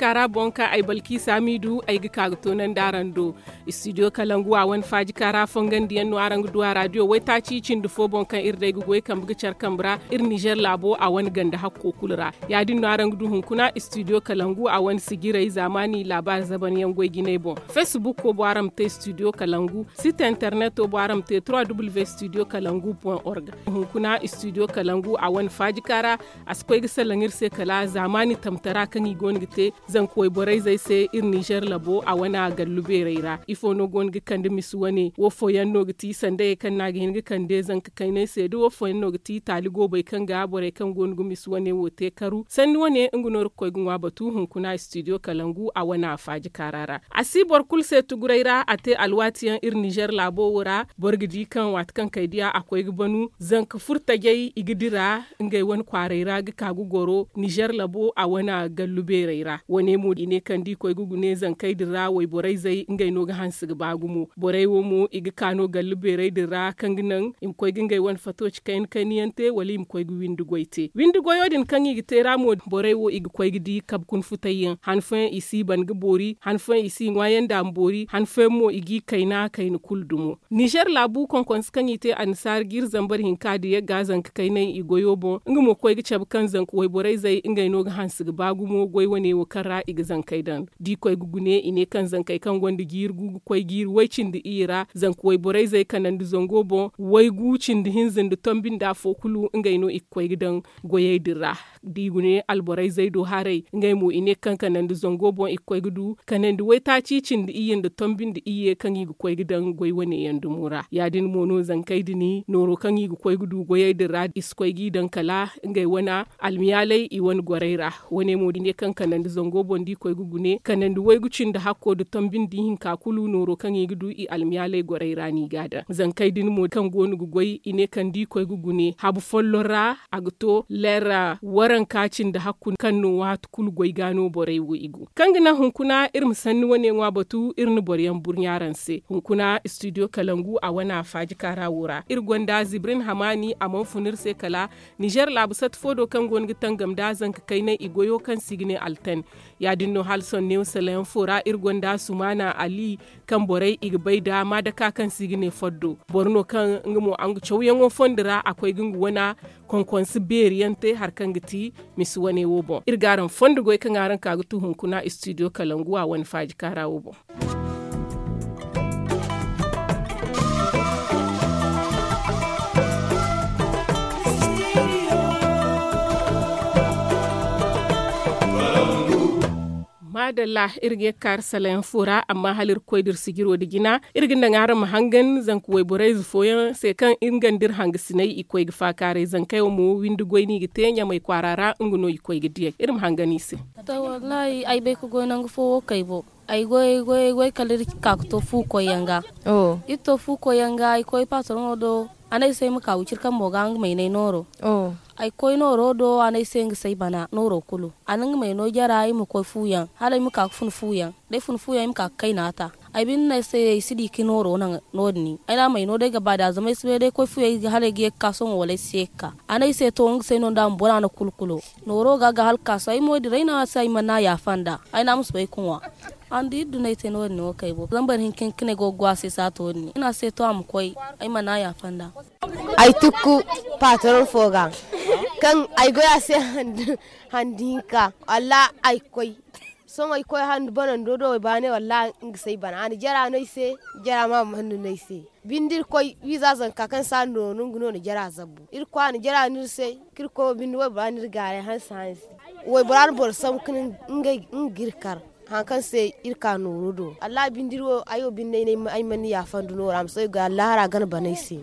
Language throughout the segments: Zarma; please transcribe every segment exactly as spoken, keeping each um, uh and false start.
kaara boŋ kaŋ ay balki saamiidu ay ga ka ga toonandi araŋ do. Istidiyo kalangu a wane faaji kaara fongandiyaŋ no araŋ ga du a raadiyo waytaaci cindi fo boŋ kaŋ iri day ga goy kambe ga care kambe ra. Iri nizer laabo a wane ganda hakko kulu ra. Ya- din no araŋ ga du hunkuna istidiyo kalangu a wane sijiray zaamaani laabaari zabanyaŋ goy jinay boŋ. Fesbukko boŋ araŋ ma te istidiyo kalangu. Site interneto boŋ araŋ ma te trois w istidiyo kalangu point org. Hunkuna istidiyo kalangu a wane faaji kaara. A si koy ga salaŋ iri se kala zaamaani tamtara kaŋ i go no ga te zanka wayborayzey se iri nizer labo a wane gallu beerey ra. Ifo no go no ga kande misi wane wo fooyaŋ no ga ti sandayey kaŋ no a ga hin ga kande zanka kaynay se da wo fooyaŋ no ga ti taali goobey kaŋ ga borey kaŋ go no ga misi wane wo te karu sanni wane nga no iri ga koy ga ŋwa batu hunkuna istidiyo kalangu a wane a faaji kaara ra. A si boro kulu se tuguray ra a te alwaatiyaŋ iri nizer laabo wo ra. Boro ga di kaŋ waati kaŋ kay diya a koy ga banu zanka furtajey i ga dira ngey wane kwaaray ra ga ka ga goro nizer labo a wane gallu beerey ra wane mo i ne kaŋ da i koy ga gune zankey din ra wayborayzey ngey no ga hanse ga ba gumo borey wo mo i ga ka no gallu beerey din ra kaŋ ga naŋ i ma koy ga ngey wane fato ci kayna kayna yaŋ te wala i ma koy ga windi goy te windi goyo din kaŋ i ga te ra mo borey wo i ga koy ga di kabe kuna futayyaŋ han fooyaŋ i si ban ga boori han fooyaŋ i si ŋwaayaŋ da a ma boori han fooyaŋ mo i g'i kayna kayna kulu dumo. Nizer laabu konkonse kaŋ i te annasaara jiiri zambar hinka da yagga zanka kaynay i goyo boŋ nga mo koy ga cabe kaŋ zanka wayborayzey ngey no ga hanse ga ba gumo goy wane wo kaŋ ra i ga zankey daŋ da i koy ga gune i ne kaŋ zankey kaŋ gonda jiiri gu ga koy jiiri way cindi iyye ra zanka wayborayzey kanandi zango boŋ waygu cindi hinza nda tombi nda afo kulu ngey no i ga koy ga daŋ goyey din ra. Da i gune alborayzey do haray ngey mo i ne kaŋ kanandi zango boŋ i ga koy ga du kanandi waytaaci cindi iyye nda tombi nda iyye kaŋ i ga koy ga daŋ goy wane yaŋ dumo ra ya- din mo no zankey din nooro kaŋ i ga koy ga du goyey din ra i si koy g'i daŋ kala ngey wane almiyaaley i wane gorey ra. Wane mo da i ne kaŋ kanandi zango boŋ da i koy ga gune kanandi waygu cindi hakko nda tombi nda ihinka kulu nooro kaŋ i ga du i almiyaaley gorey ra no i ga a daŋ zankey din mo kaŋ go no ga goy i ne kaŋ da i koy ga gune habu folloŋ ra a ga to leera waranka cindi hakku kaŋ no waati kulu goy ga no borey wo i go kaŋ ga naŋ hunkuna iri ma sanni wane ŋwa batu iri na boro yaŋ burɲa araŋ se hunkuna istidiyo kalangu a wane a faaji kaara wo ra iri gonda zibrin hamaani a mana fun iri se kala nizer laabu sata fo do kaŋ go no ga tangam nda zanka kaynay i goyo kaŋ se i ga ne altan. Ya- din no hala sohõ neewo salayaŋ fo ra iri gonda sumaana ali kaŋ borey i ga bay nda maadaka kaŋ se i ga ne foddo boro no kaŋ nga mo a nga cawyaŋo fondo ra a koy ga nga wana konkonse beeri yaŋ te hari kaŋ ga ti misi wane wo boŋ iri ga araŋ fondo goy kaŋ araŋ ka ga tu hunkuna istidiyo kalangu a wane faaji kaara wo boŋ. Maadalla, iri ga ye ga kaari salayaŋ fo ra amma hala iri ga koy da iri sijiro nda jina iri ga naŋ araŋ ma hangan zanka wayborayze fooyaŋ se kaŋ nga nda iri hangasinay i koy ga faakaaray zankey wo mo windi goy no i ga te ɲamay kwaara ra nga no i koy ga diyay iri ma hangan i se. To wallaahi ay bay ga goy nangu fo wo kay bo. Ay goy ay goy ay goy kala iri ka ga to fu koyyaŋ ga. Iri to fu koyyaŋ ga ay koy patroŋo do. A ne ay se ay ma ka wiciri kambo ga nga ma ay ne ay nooro. Ay koy nooro do a ne ay se nga se ay bana nooro kulu a na nga ma ay no jara ay ma koy fuyaŋ hala ay ma ka ga fun fuyaŋ da ay fun fuyaŋ ay ma ka ga kayna ta. Ay binde ne ay se ay si di ga nooro naŋ no- din ay ne a ma ay no day ga ba da zama ay si bay day koy fuyaŋ hala ay ga ye ga ka sohõ wala ay si ye ga ka. A ne ay se to nga se ay no nda a ma bora no kulu kulo. Nooro ga ga hala ga ka sohõ ay mo dira ay ne a se ay mana yaafa nd'a. Ay ne a ma soobay ga ŋwa. An da iri duna ay te no- din wo kay bo zama boro hinka hinka no ay go ga go a se saato din ay ne a se to a ma koy. Ay mana yaafa nd'a. Ay tukku patron fo ga kaŋ ay goy a se handi hinka wallaahi ay ga koy. Sohõ ay ga koy handi banando do ay baanay wallaahi nga se ay bana a na jara no ay se. Jara ma ma handu no ay se. Binde iri koy wiiza zanka kaŋ se a na noonu nga no na jara zabbu iri koy a na jara no iri se. Kaŋ iri koy wo binde waybora no iri gaaray hanse hanse. Waybora na boro sambu ka ne nga ga iri kar. Hari kaŋ se iri ka nooro do wallaahi binde iri wo ay wo binde ay mana yaafa nda noora ma sohõ ay ga allahara gana bana ay se.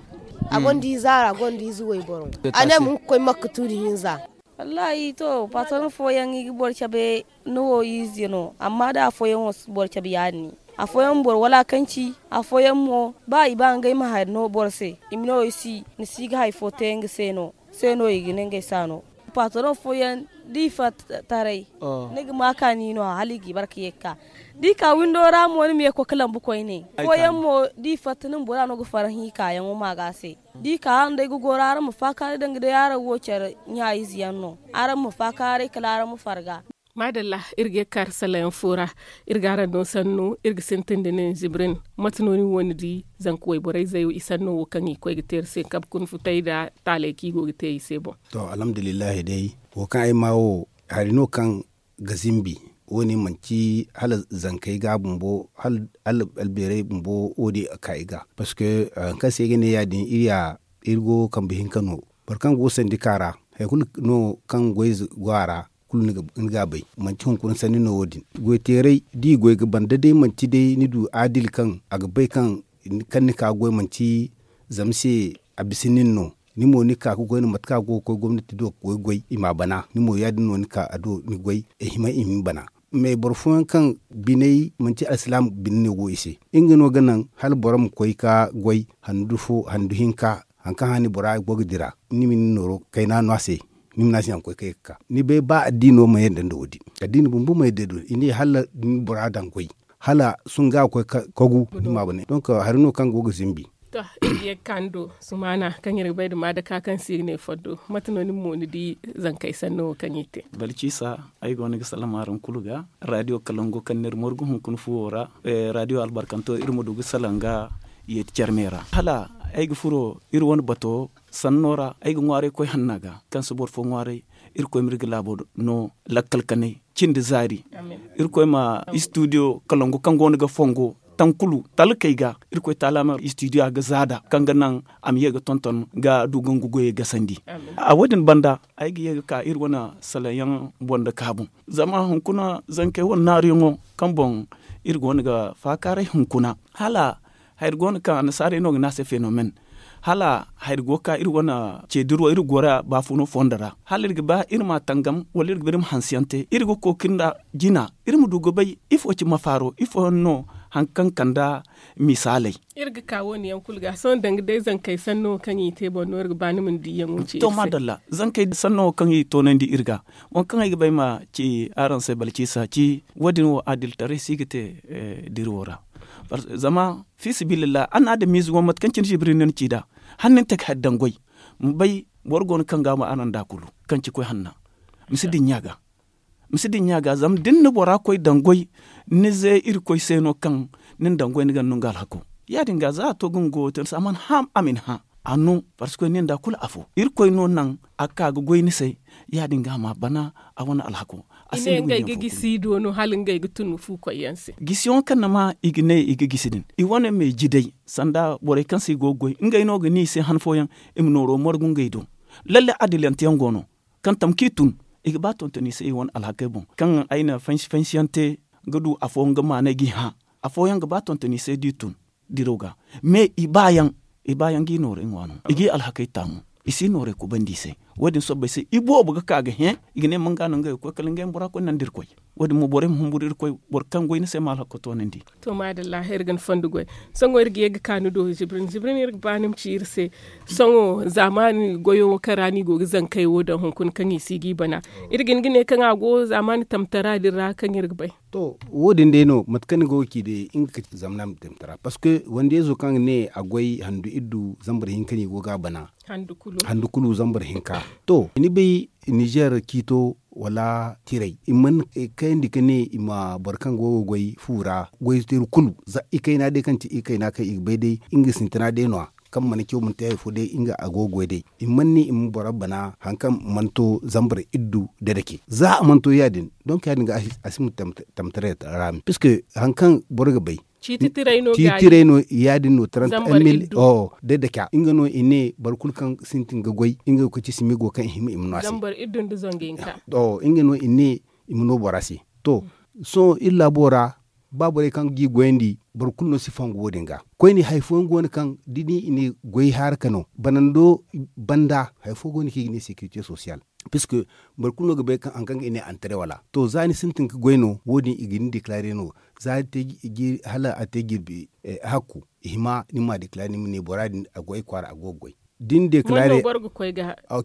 A gonda ize a ra a gonda ize wayboro. A ne ma nga ga koy makka tuuri hinza. Wallaahi to patron fooyaŋ i ga boro cabe ni wo ize no amma da afooyaŋ wo si boro cabe ya- din. Afooyaŋ ma boro walakanci. Afooyaŋ mo ba i ba ngey ma hari no boro se i ma ne wo ay si ni si ga hari fo te nga se no. se no i ga ne ngey se a no. Patron fooyaŋ da i fatta taray, ni ga ma kaani no hala i g'i bare ka ye ga ka da i ka windo ra mo ni ma ye ga koy ga lambu koyne. Fooyaŋ mo da i fatta ni ma bora no ga farhã i kaayaŋo ma ga se da i ka araŋ day ga goro araŋ ma faakaaray danga day araŋ wo care ɲa-ize yaŋ no. Araŋ ma faakaaray kala araŋ ma farga. Maadalla. Iri ga ye ga kaari salayaŋ fo ra. Iri ga araŋ no sannu iri ga sintin da nin zibrin. Mate no ni wo ni di zanka wayborey zey i sanno wo kaŋ i ga koy ga te iri se kabe kuna futay nda taaley kaŋ i go ga te i se boŋ? To alhamdulillahi day, wo kaŋ ay ma wo hari no kaŋ ga zimbi. Wo- ne manti hala zankey ga bumbo hala albeerey bumbo wo- din a ka i ga. Parceque hari kaŋ se ay ga ne ya- din iri ya iri go kambe hinka no. Boro kaŋ go sandika ra hari kulu no kaŋ goy ize go a ra kulu ni ga a bay. Manti hunkuna sanni no wo- din. Goy teeray da i goy ga ban da day manti day ni du adil kaŋ a ga bay kaŋ ni ka ga goy manti zama se a bisa nin no. Ni mo ni ka ga goy no mate kaŋ a go ga koy gomnati do ga goy goy i m'a bana ni mo ya- din no ni ka a do ni goy. Ay hima i ma ni bana. Mais boro fooyaŋ kaŋ biney manti alsilaama bine no go i se. Nga no ga naŋ hala boro ma koy ga goy handu hinka hari kaŋ hane bora go ga dira ni ma ni nooro kayna no a se. Ni ma ne a se a ma koy kay ga ka ni bay ba addiino ma yadda nda wo- din. Addiino bumbo ma yadda nda wo- din i ne hala da ni bora daŋ goy hala sohõ ga a koy ga kogu ni ma a bana. Donk hari no kaŋ go ga zimbi. To, iri ga ye ga ka ni do sumaana kaŋ iri ga bay nda maadaka kaŋ se i ga ne fondo. Mate no nin mo ni di zankey sanno wo kaŋ i te? Balciisa, ay go no ga salaŋ araŋ kulu ga. Raadiyo kalango kaŋ no iri margu hunkuna fuwo ra. Raadiyo albarkanto iri ma du ga salaŋ ga yeeti care me ra hala ay ga furo iri wane bato sanno ra ay ga ŋwaaray koy hanna ga kaŋ si boro fo ŋwaaray. Irkoy ma iri ga laabo no lakkal kanay cindi zaari. Irkoy ma istudiyo kalangu kaŋ go no ga fongo tankulu talkey ga. Irkoy taala ma istudiyo a ga zaada kaŋ ga naŋ a ma ye ga tonton ga du ga nga goyey gasandi. A wo- din banda ay ga ye ga ka iri wane salaŋ yaŋ boŋ nda kaabu zama hunkuna zankey wane naaruyaŋo kaŋ boŋ iri go no ga faakaaray hunkuna hala hari go no kaŋ annasaarey no ga ne a se fenomen. Hala hari go ga ka iri wane ceediro iri gora baafuno fondo ra hala iri ga ba iri ma a tangam wala iri ga ba iri ma hanse yaŋ te iri ga kookari nda jina iri ma du ga bay ifo ci mafaaro ifo yaŋ no hari kaŋ kande misaaley. Iri ga ka wo- ne yaŋ kulu ga sohõ danga day zankey sanno kaŋ i te boŋ no iri ga ba ni ma ni diiyaŋo ci iri se. To maadalla, zankey sanno kaŋ i toonandi iri ga waŋ kaŋ ay ga ba ay ma ci araŋ se balciisa ci wo- din wo adilitaray si ga te diri wo ra. Zama fiisabilillah araŋ na adamiize wane mate kaŋ cine zibiri no ni ci nd'a hala ni na te ga hari daŋ goy ma bay boro go no kaŋ ga a ma araŋ nd'a kulu kaŋ ci koy hanna. Ma si dinya ga ma si dinya ga zama da ni na bora koy daŋ goy ni ze irkoy se no kaŋ ni na daŋ goy ni ga ni no nga alhako. Ya- din ga za a to ga nga goyo te ni se a mana hã a ma ni hã a no. Parceque ni nda kulu afo irkoy no naŋ a ka ga goy ni se. Ya- din ga a ma bana a wane alhako. A ne ngey ga gisi do no hala ngey ga tun fu koy yaŋ se. Gisiyaŋo kaŋ ni ma i ga ne i ga gisi din i wane me ji day sanda borey kaŋ se i go ga goy ngey no ga ne i se han fooyaŋ i ma nooro margu ngey do. Lalle adilante yaŋ go no kaŋ tamka i tun i ga ba tontoni se i wane alhakey boŋ kaŋ ay na fansi fansiyaŋ te ga du afooyaŋ ga maanay g'i hã. Afooyaŋ ga ba tontoni se da i tun diraw ga. Mais i baayaŋ i baayaŋ g'i noorey ŋwa no i g'i alhakey taamu. I si noorey kubandi i se. Wo- din sobbay se i boobo ga ka ga hẽ i ga ne manga no ngey ga koy kala ngey ma bora koy nandi irkoy. Wo- din mo borey ma humburu irkoy boro kaŋ goy ni se ma alhako toonandi. To maadalla iri ga ni fondo goy. Sohõ iri ga ye ga ka ni do zibrin zibrin iri ga ba ni ma ci iri se. Sohõ zaamaani goyo wo kaŋ ra no i go ga zankey wo daŋ hunkuna kaŋ i si g'i bana. Iri ga hin ga ne kaŋ a go zaamaani tamtara din ra kaŋ iri ga bay. To wo- din day no mate kaŋ ni go ga ci day nga ga ci zamana ma te ma tara parceque wande izo kaŋ ga ne a goy handu iddu zambar hinka no i go ga a bana. Handu kulu zambar hinka. To ni bay nizer ciito wala tiray i mana kayandi ga ne i ma boro kaŋ go ga goy fu ra goy teeri kulu za i kayna day kaŋ ti i kayna kaŋ i ga bay day nga sintina day no- ya kaŋ mana caw mana te hari fo day nga a go ga goy day. I mana ne i ma boro bana hari kaŋ mana to zambar iddu dadake za a mana to ya- din donk ya- din ga a si ma tamtaray ra me puisque hari kaŋ boro ga bay ciiti tiray no ya- din no trente mil. Dadake nga no i ne boro kulu kaŋ sintin ga goy nga ga koy ci simigo kaŋ i hima i ma no a se. Nga no i ne i ma no bora se. To sohõ iri laabo ra ba borey kaŋ g'i goyandi boro kulu no si fongu wo- din ga koyne hari fooyaŋ go no kaŋ da ni i ne goy haaraka no banando banda hari fo go no kaŋ i ga ne securité social. Puisque boro kulu no ga bay kaŋ hari kaŋ ga i ne antre wala to za ni sintin ga goy no wo- din i ga ni déclarer no za ni te hala a te jirbi hakku i hima ni ma déclarer ni ma ne bora din a go ay kwaara a go ga goy. Da ni deekalaare,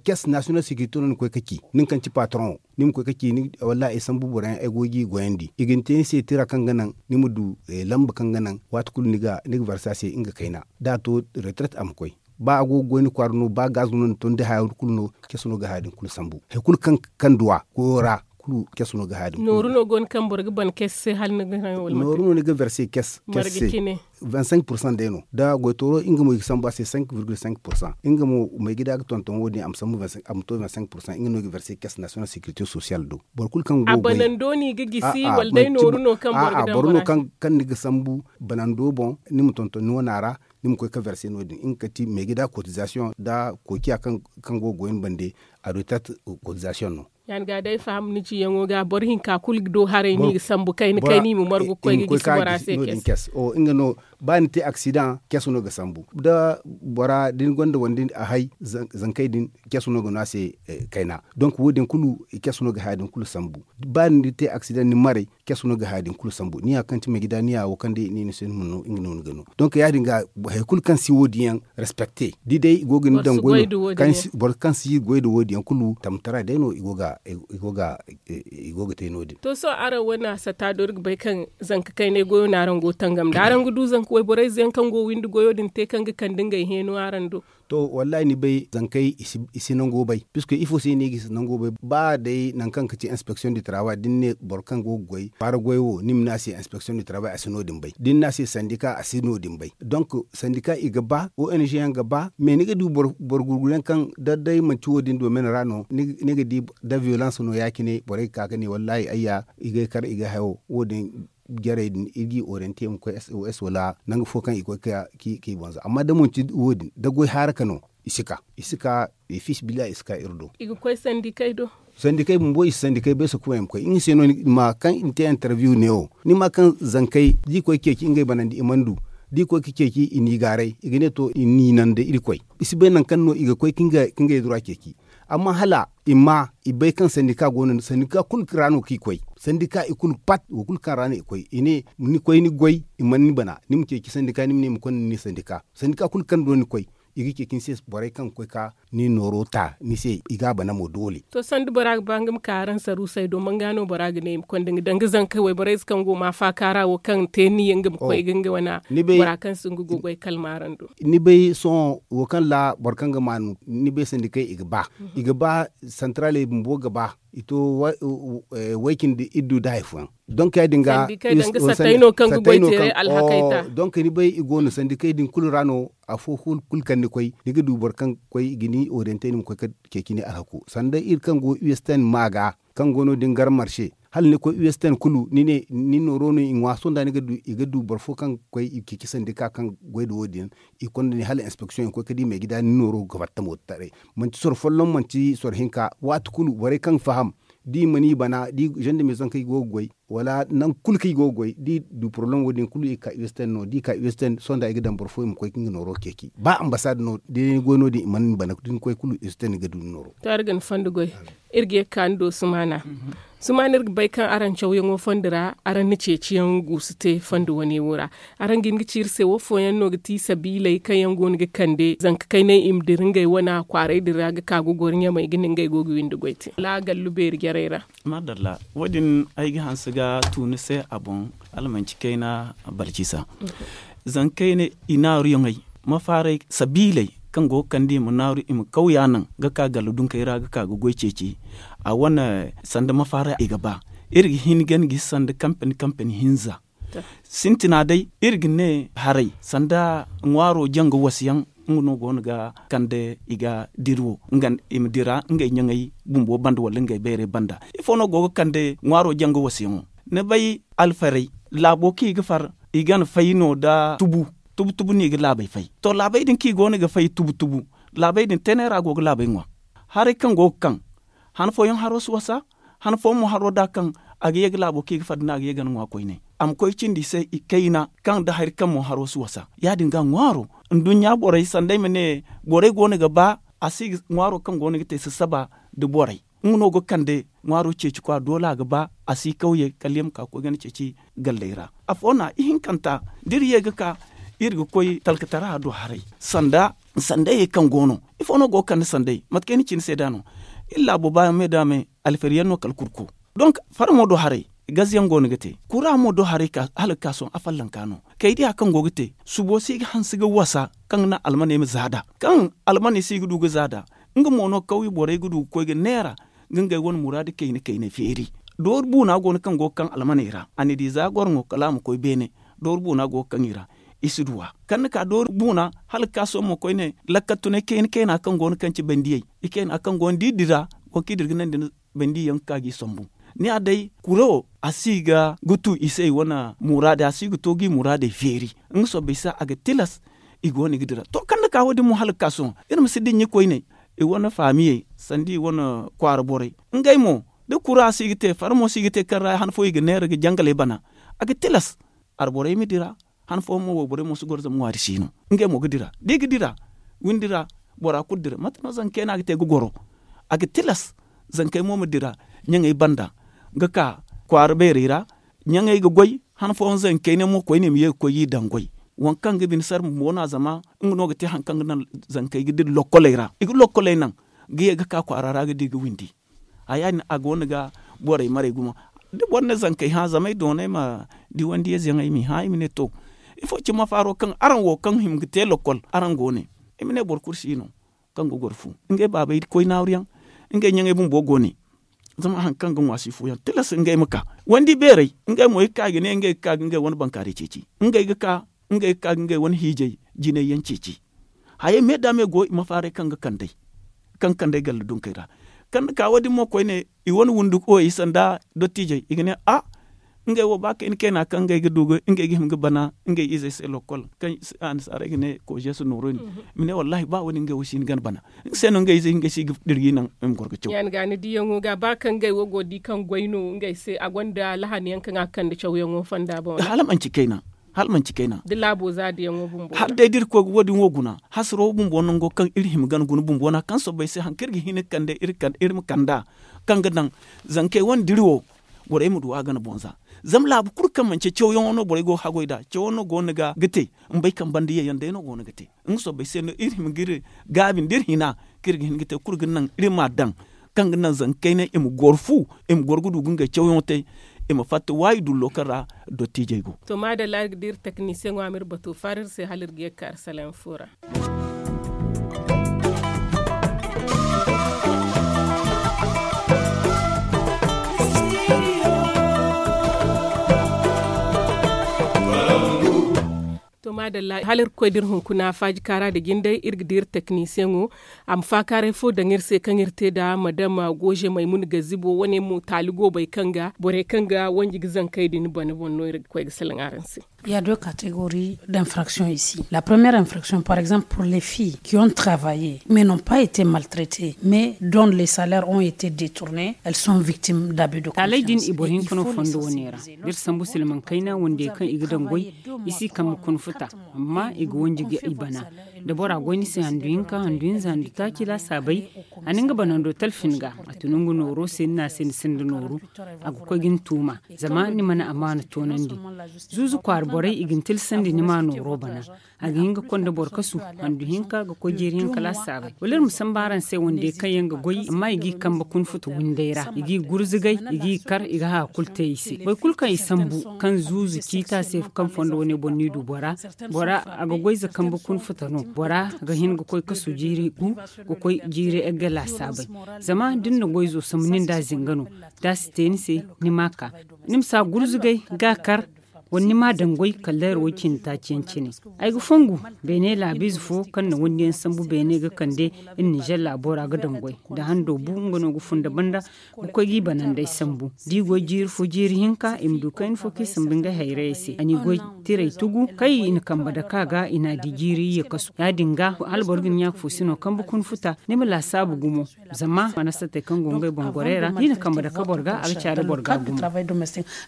kees nasiyonal sekirite no ni koy ga ci, nin kaŋ ci paataroŋo, ni ma koy ga ci wallaahi ay sambu boro yaŋ ay go ga i goyandi i ga ni te ni se tira kaŋ ga naŋ ni ma du lamba kaŋ ga naŋ waati kulu ni ga verse a se nga kayna. Da a to retraite a ma koy. Ba a go ga goy ni kwaara no ba gaz no ni ton da haya kulu no. Kees no ga haya din kulu sambu. Hari kulu kaŋ duwa koyo ra kulu kees no ga haya din kulu. Nooru no go no kaŋ boro ga ban kees se hala ni ga hayo wala nooru no ni ga verse kees se. Vingt cinq pursan day no da goytooro nga mo i ga sambu a se cinq virgule cinq pursan nga mo maygida ga tonton wo- din a ma to vingt cinq pursan nga no i ga verse kees nasiyonal sekirite sosiyal do. Boro kulu kaŋ go ga goy a banando no i ga gisi wala day nooru no kaŋ boro ga daŋ bora se. Kaŋ ni ga sambu banando boŋ ni ma tonton ni wana ra. Ni ma koy ga verse no- din nga kati maygida kotizasiyoŋ nda kookiya kaŋ go ga goy ni bande. A do i taati kotizasiyoŋ no. Ya- din ga day faham ni ciyaŋo ga boro hinka kulu ga do haray no i ga sambu kayna kayna i ma margu ga koy ga gisi bora se. Kees. Nga no ba ni te aksidaŋ kees no ga sambu da bora da ni gonda wande a hay zankey din kees no ga no a se. Kayna donk wo- din kulu kees no ga haya din kulu sambu. Ba ni te aksidaŋ ni maray kees no ga haya din kulu sambu ni ya kaŋ ti maygida ni ya wo kaŋ day ni ni se ni ma no nga no ni ga no. Donk ya- din ga hari kulu kaŋ si wo- din yaŋ respecte da i day i go ga ni daŋ goy no boro kaŋ si goy nda wo- din yaŋ kulu tamtara day no i go ga i go ga te no- din. To sohõ araŋ wane a sata do iri ga bay kaŋ zanka kaynay goyo no araŋ go ga tangam nda araŋ ga du zanka wayborey ze yaŋ kaŋ go ga windi goyo din te kaŋ ga kande ngey heeno araŋ do? To wallaahi ni bay zankey i si nango bay puisque ifo se no i ga si nango bay ba day nangu kaŋ ga ci inspeksiyoŋ du taraawaay da ni ne boro kaŋ go ga goy kwaara goy wo ni ma ne a se inspeksiyoŋ du taraawaay a si no- din bay da ni ne a se sandika a si no- din bay. Donk sandika i ga ba ong yaŋ ga ba mais ni ga du boro gurguru yaŋ kaŋ da day manti wo- din domin ra no ni ga di da viyolans no ya- cine borey ga ka ga ne wallaahi ayya i ga ay kar i ga ay hayo wo- din jarey din iri ga i oriyante i ma koy sos wala nangu fo kaŋ i koy ga i boŋ za amma da manti wo- din da goy haaraka no i si ka i si ka. Fiisabilillahi i si ka iri do. I ga koy sandikey do. Sandikey bumbo i si sandikey bay sokuma i ma koy nga se no ni ma kaŋ i na te interview neewo ni ma kaŋ zankey da i koy ga ceeci ngey banandi i mana du da i koy ga ceeci i n'i gaaray i ga ne to i n'i naŋ da irkoy. I si bay nangu kaŋ no i ga koy ga ngey dura ceeci. Amma hala i ma i bay kaŋ sandika go no sandika kulu ra no kaŋ i koy. Sandika i kulu pat wo kulu kaŋ ra no i koy i ne ni koy ni goy i mana ni bana ni ma ceeci sandika ni ma ne i ma konda ni sandika. Sandika kulu kaŋ do ni koy i ga ceeci ni se borey kaŋ ga koy ga ni nooro ta ni se i ga a bana mo doole. To sanda bora ga ba nga ma ka araŋ saruusey do manga no bora ga ne i ma konda nga danga zanka wayborey ze kaŋ go ma faaka ra wo kaŋ te ni yaŋ ga ma koy ga nga wane bora kaŋ si nga go goy kalma araŋ do. Ni bay sohõ wo kaŋ ra boro kaŋ ga maanu ni bay sandikey i ga ba i ga ba santaraley bumbo ga ba i to way cindi iddu da hari fooyaŋ. Donk ya- din ga sandikey no kaŋ ga goy teeray alhakey ta. Donk ni bay i go no sandikey din kulu ra no afo kulu kaŋ ni koy ni ga du boro kaŋ ga koy i ga ni oriyante ni ma koy ga ceeci ni alhako sanda iri kaŋ go usten ma ga kaŋ go no- din gar marse hala ni koy usten kulu ni ne ni nooro no i ŋwa sohõ da ni ga du i ga du boro fo kaŋ ga koy i ga ceeci sandika kaŋ ga goy nda wo- din i konda ni hala inspeksiyoŋ i ga koy ga di maygida ni nooro ga fatta mo taray. Manti soro folloŋ manti soro hinka waati kulu borey kaŋ ga faham da i mana i bana da i zandamezaŋ kaŋ i go ga goy wala nangu kulu kaŋ i go ga goy da i du poroblem wo- din kulu i ga ka usten no da i ka usten sohõ da i ga daŋ boro fo i ma koy ga nga nooro ceeci ba ambasad no da ni goy no- din i mana ni bana da ni koy kulu usten ga du ni nooro. To araŋ ga ni fondo goy. Iri ga ye ga ka ni do sumaana. Sumaana iri ga bay kaŋ araŋ cawyaŋo fondo ra araŋ na ceeciyaŋ guusu te fondo wane wo ra. Araŋ ga hin ga ci iri se wo fooyaŋ no ga ti sabiiley kaŋ yaŋ go no ga kande zanka kaynay i ma dira ngey wane kwaaray din ra ga ka ga goro ɲamey ga ne ngey go ga windi goy te wala gallu beeri jarey ra? Maadalla, wo- din ay ga hanse ga tu ni se a boŋ. Hala manci kayna balcisa. Zama kayna i naaruyaŋey mafaaray sabiiley kaŋ go ga kande i ma naaru i ma kawya naŋ ga ka galla dunkey ra ga ka ga goy ceeci. A wane sanda mafaaray i ga ba iri ga hin ga ni gisi sanda kampani kampani hinza. Sintina day iri ga ne haray sanda ŋwaaro janga wasu yaŋ nga no go no ga kande i ga diri wo i ma dira ngey ɲaŋey bumbo banda wala ngey bayray banda. Ifo no go ga kande ŋwaaro janga wasu yaŋo? Ni bay alfarey laabo kaŋ i ga far i ga ni fay no nda tubu. Tubu tubu no i ga laabey fay to laabey din kaŋ i go no ga fay tubu tubu laabey din teeney ra go ga laabey ŋwa. Haray kaŋ go ga kaŋ han fooyaŋ haro si wasa. Han fooyaŋ mo haro da kaŋ a ga ye ga laabo kaŋ i ga far da ni a ga ye ga ni ŋwa koyne a ma koy cindi i se ikayna kaŋ nda hari kaŋ mo haro si wasa. Ya- din ga ŋwaaro nduɲɲa borey sanda ay ma ne borey go no ga ba a si ŋwaaro kaŋ go no ga te sasaba nda borey. Nga no ga kande ŋwaaro ceeci kwa doole a ga ba a si kawye kala ya ma ka ga koy ga ni ceeci galley ra. Afo no ihinkanta da iri ye ga ka iri ga koy talkatara do haray sanda Sandayey kaŋ go no ifo no go ga kande sandayey mate kaŋ ay na ci ni se da no. Iri laabo ba me da me alfari yaŋ no kala kurko. Donk fara mo do haray gaz yaŋ go no ga te kura mo do haray hala ga ka sohõ a fallanka no. Kay diya kaŋ go ga te subo se i ga hanse ga wasa kaŋ ga naŋ almaney ma za nd'a kaŋ almaney se i ga du ga za nd'a. Nga mo no kawye borey ga du ga koy ga neera ga ngey wane muraadu kayna kaynay feeri. Dooru buuna go no kaŋ go ga kaŋ almaney ra a na di za goroŋo kala a ma koy beene. Dooru buuna go ga kaŋ i ra i si du a kaŋ ni ka dooru buuna hala ga ka sohõ mo koyne. Lakkal tunay kayna kayna kaŋ go no kaŋ ci bandiyey i kayna kaŋ go no da i dira waŋ kaŋ i dira ga naŋ da ni bandiyaŋ ga ka ga i sambu. Ni ya day kuro a si ga tu i se i wane muraadey a si ga to ga i muraadey feeri. Nga soobay se a ga tilas i go no ga dira to kaŋ ni ka wo- din mo hala ga ka sohõ iri ma si dinya koyne. I wane faamiyey sanda i wane kwaara borey ngey mo da kura si ga te fara mo si ga te kaŋ ra han fo i ga neera ga jangaley bana. A ga tilas alborey ma dira. Han fooyaŋ mo wayborey mo si goro zama ŋwaari si no. Ngey mo ga dira da i ga dira windi ra. Bora kulu dira mate no zankey no a ga te ga goro. A ga tilas zankey mo ma dira ɲaŋey banda ga ka kwaara beerey ra. Ɲaŋey ga goy han fooyaŋ zankey ne mo koyne ma ye ga koy ga i daŋ goy. Waŋ kaŋ ga bine sara bumbo no a zama nga no ga te hari kaŋ ga naŋ zankey ga dira lokkoley ra i ga lokkoley naŋ ga ye ga ka kwaara ra ga di ga windi. Haya din a go no ga borey marey gumo da boro ne zankey hã zama ay doonay ma di wandiyayze yaŋ ay m'i hã i ma ne to ifo cine ma faaro kaŋ araŋ wo kaŋ hima ga te lokkol araŋ go ne. I ma ne boro kulu si no kaŋ ga goro fu ngey baabey koy naaru yaŋ ngey ɲaŋey bumbo go ne. Zama hari kaŋ ga ŋwa si fooyaŋ tilas ngey ma ka wandi beerey ngey mo i ga ka i ga ne ngey ga ka ga ngey wane bankaaray ceeci ngey ga ka ngey ga ka ga ngey wane hiijay jinay yaŋ ceeci. Hayey me da me go i ma faaray kaŋ ga kand'ey kaŋ ga kand'ey galla dunkey ra. Kaŋ ni ka wo- din mo koyne i wane wundu koyey sanda dottiijey i ga ne a ngey wo ba kayna kayna kaŋ ngey ga du ga ngey ga hima ga bana ngey izey se lokkol kaŋ annasaarey ga ne kozesu nooro din. I ma ne wallahi ba wo- din ngey wo si hin gana bana. Nga se no ngey izey ngey se i ga dira ga i naŋ i ma goro ga caw. Ya ni ga ni diyaŋo ga ba kaŋ ngey wo go ga di kaŋ goy no ngey se a gonda lahani yaŋ kaŋ a ga kande cawyaŋo fonda boŋ ra hala manci kayna. Hala manci kayna da laabo za diyaŋo bumbo ra hala day da iri koy ga wo- din wo guna hasaro wo bumbo nango kaŋ iri hima gana guna bumbo no a kaŋ soobay se hari kaŋ iri ga hin ga kande iri ma kand'a kaŋ ga daŋ zankey wane diri wo. Borey ma du a gana boŋ za zama laabu kulu kaŋ manci cawyaŋo no borey go ga hagoy nd'a cawo no go no ga te. Mbay kaŋ banda ye yaŋ day no go no ga te. Nga soobay se no iri hima ga iri gaabi nda iri hina kaŋ iri ga hin ga te kulu ga naŋ iri m'a daŋ kaŋ ga naŋ zankey ne i ma goro fu i ma goro ga du ga ngey cawyaŋo te. I ma fatta waayi dullo kaŋ ra dottiijey go. To maadalla iri ga di iri teknisiyeŋo a ma iri bato faara iri se hala iri ga ye ga ka iri salaŋ fo ra. To maadalla hala iri ga koy da iri hunkuna faaji kaara da jinday iri ga di iri teknisiyeŋo a ma faakaaray fo daŋ iri se kaŋ iri te nda madam goze maymuna gazibo wane mo taali goobay kaŋ ga borey kaŋ ga wanji ga zankey din bana boŋ no iri ga koy ga salaŋ araŋ se. Il y a deux catégories d'infractions ici. La première infraction, par exemple, pour les filles qui ont travaillé mais n'ont pas été maltraitées, mais dont les salaires ont été détournés, elles sont victimes d'abus de confiance. Taaley din i boro hinka no fondo wane ra. Da iri sambu silmaŋ kayna wande kaŋ i ga daŋ goy, i si kambe kuna futa, amma i ga wanji ga i bana. Da bora goy ni se handu hinka handu hinza handu taaci laasaabey, a na nga banando talfin ga a tun nga nooro se ni na a se ni sinda nooru. A ga koy ga ni tuuma zama ni mana amaana toonandi. Zuuzu kwaara borey i ga ni tilsandi ni ma nooro bana. A ga hin ga konda boro kasu handu hinka ga koy jeeri hinka laasaabey wala iri ma samba araŋ se wande kaŋ yaŋ ga goy amma i g'i kambe kuna futa windey ra i g'i gurzugay i g'i kar i ga haya kulu te i se boro kulu kaŋ i sambu kaŋ zuuzu ciita se kaŋ fondo wane boŋ no i du bora. Bora a ga goy za kambe kuna futa no bora ga hin ga koy kasu jiiri gu ga koy jiiri egga laasaabey. Zama da ni na goy zo sambu nin da zinga no da a si te ni se ni ma ka ni ma si a gurzugay ga a kar. Wala ni ma a daŋ goy kala dayra way cindi taaci yaŋ cine. Ay ga fongu beene laabiize fo kaŋ na wandi yaŋ sambu beene ga kande iri ninzeer laabo ra ga daŋ goy da hando bu nga no ga fun da banda ga koy ga i banandey sambu da i goy jiiri fo jiiri hinka i ma du kayna fo kaŋ i sambu ngey hayrayey se a n'i goy tiray tugu kaŋ i na kambe dake a ga i n'a di jiiri iyye kasu ya- din ga hala boro ga ni ɲaaka fo si no kambe kuna futa ni ma laasaabu gumo. Zama mana satey kaŋ go ngey boŋ gorey ra da i na kambe dake boro ga a ga caari boro ga gumo.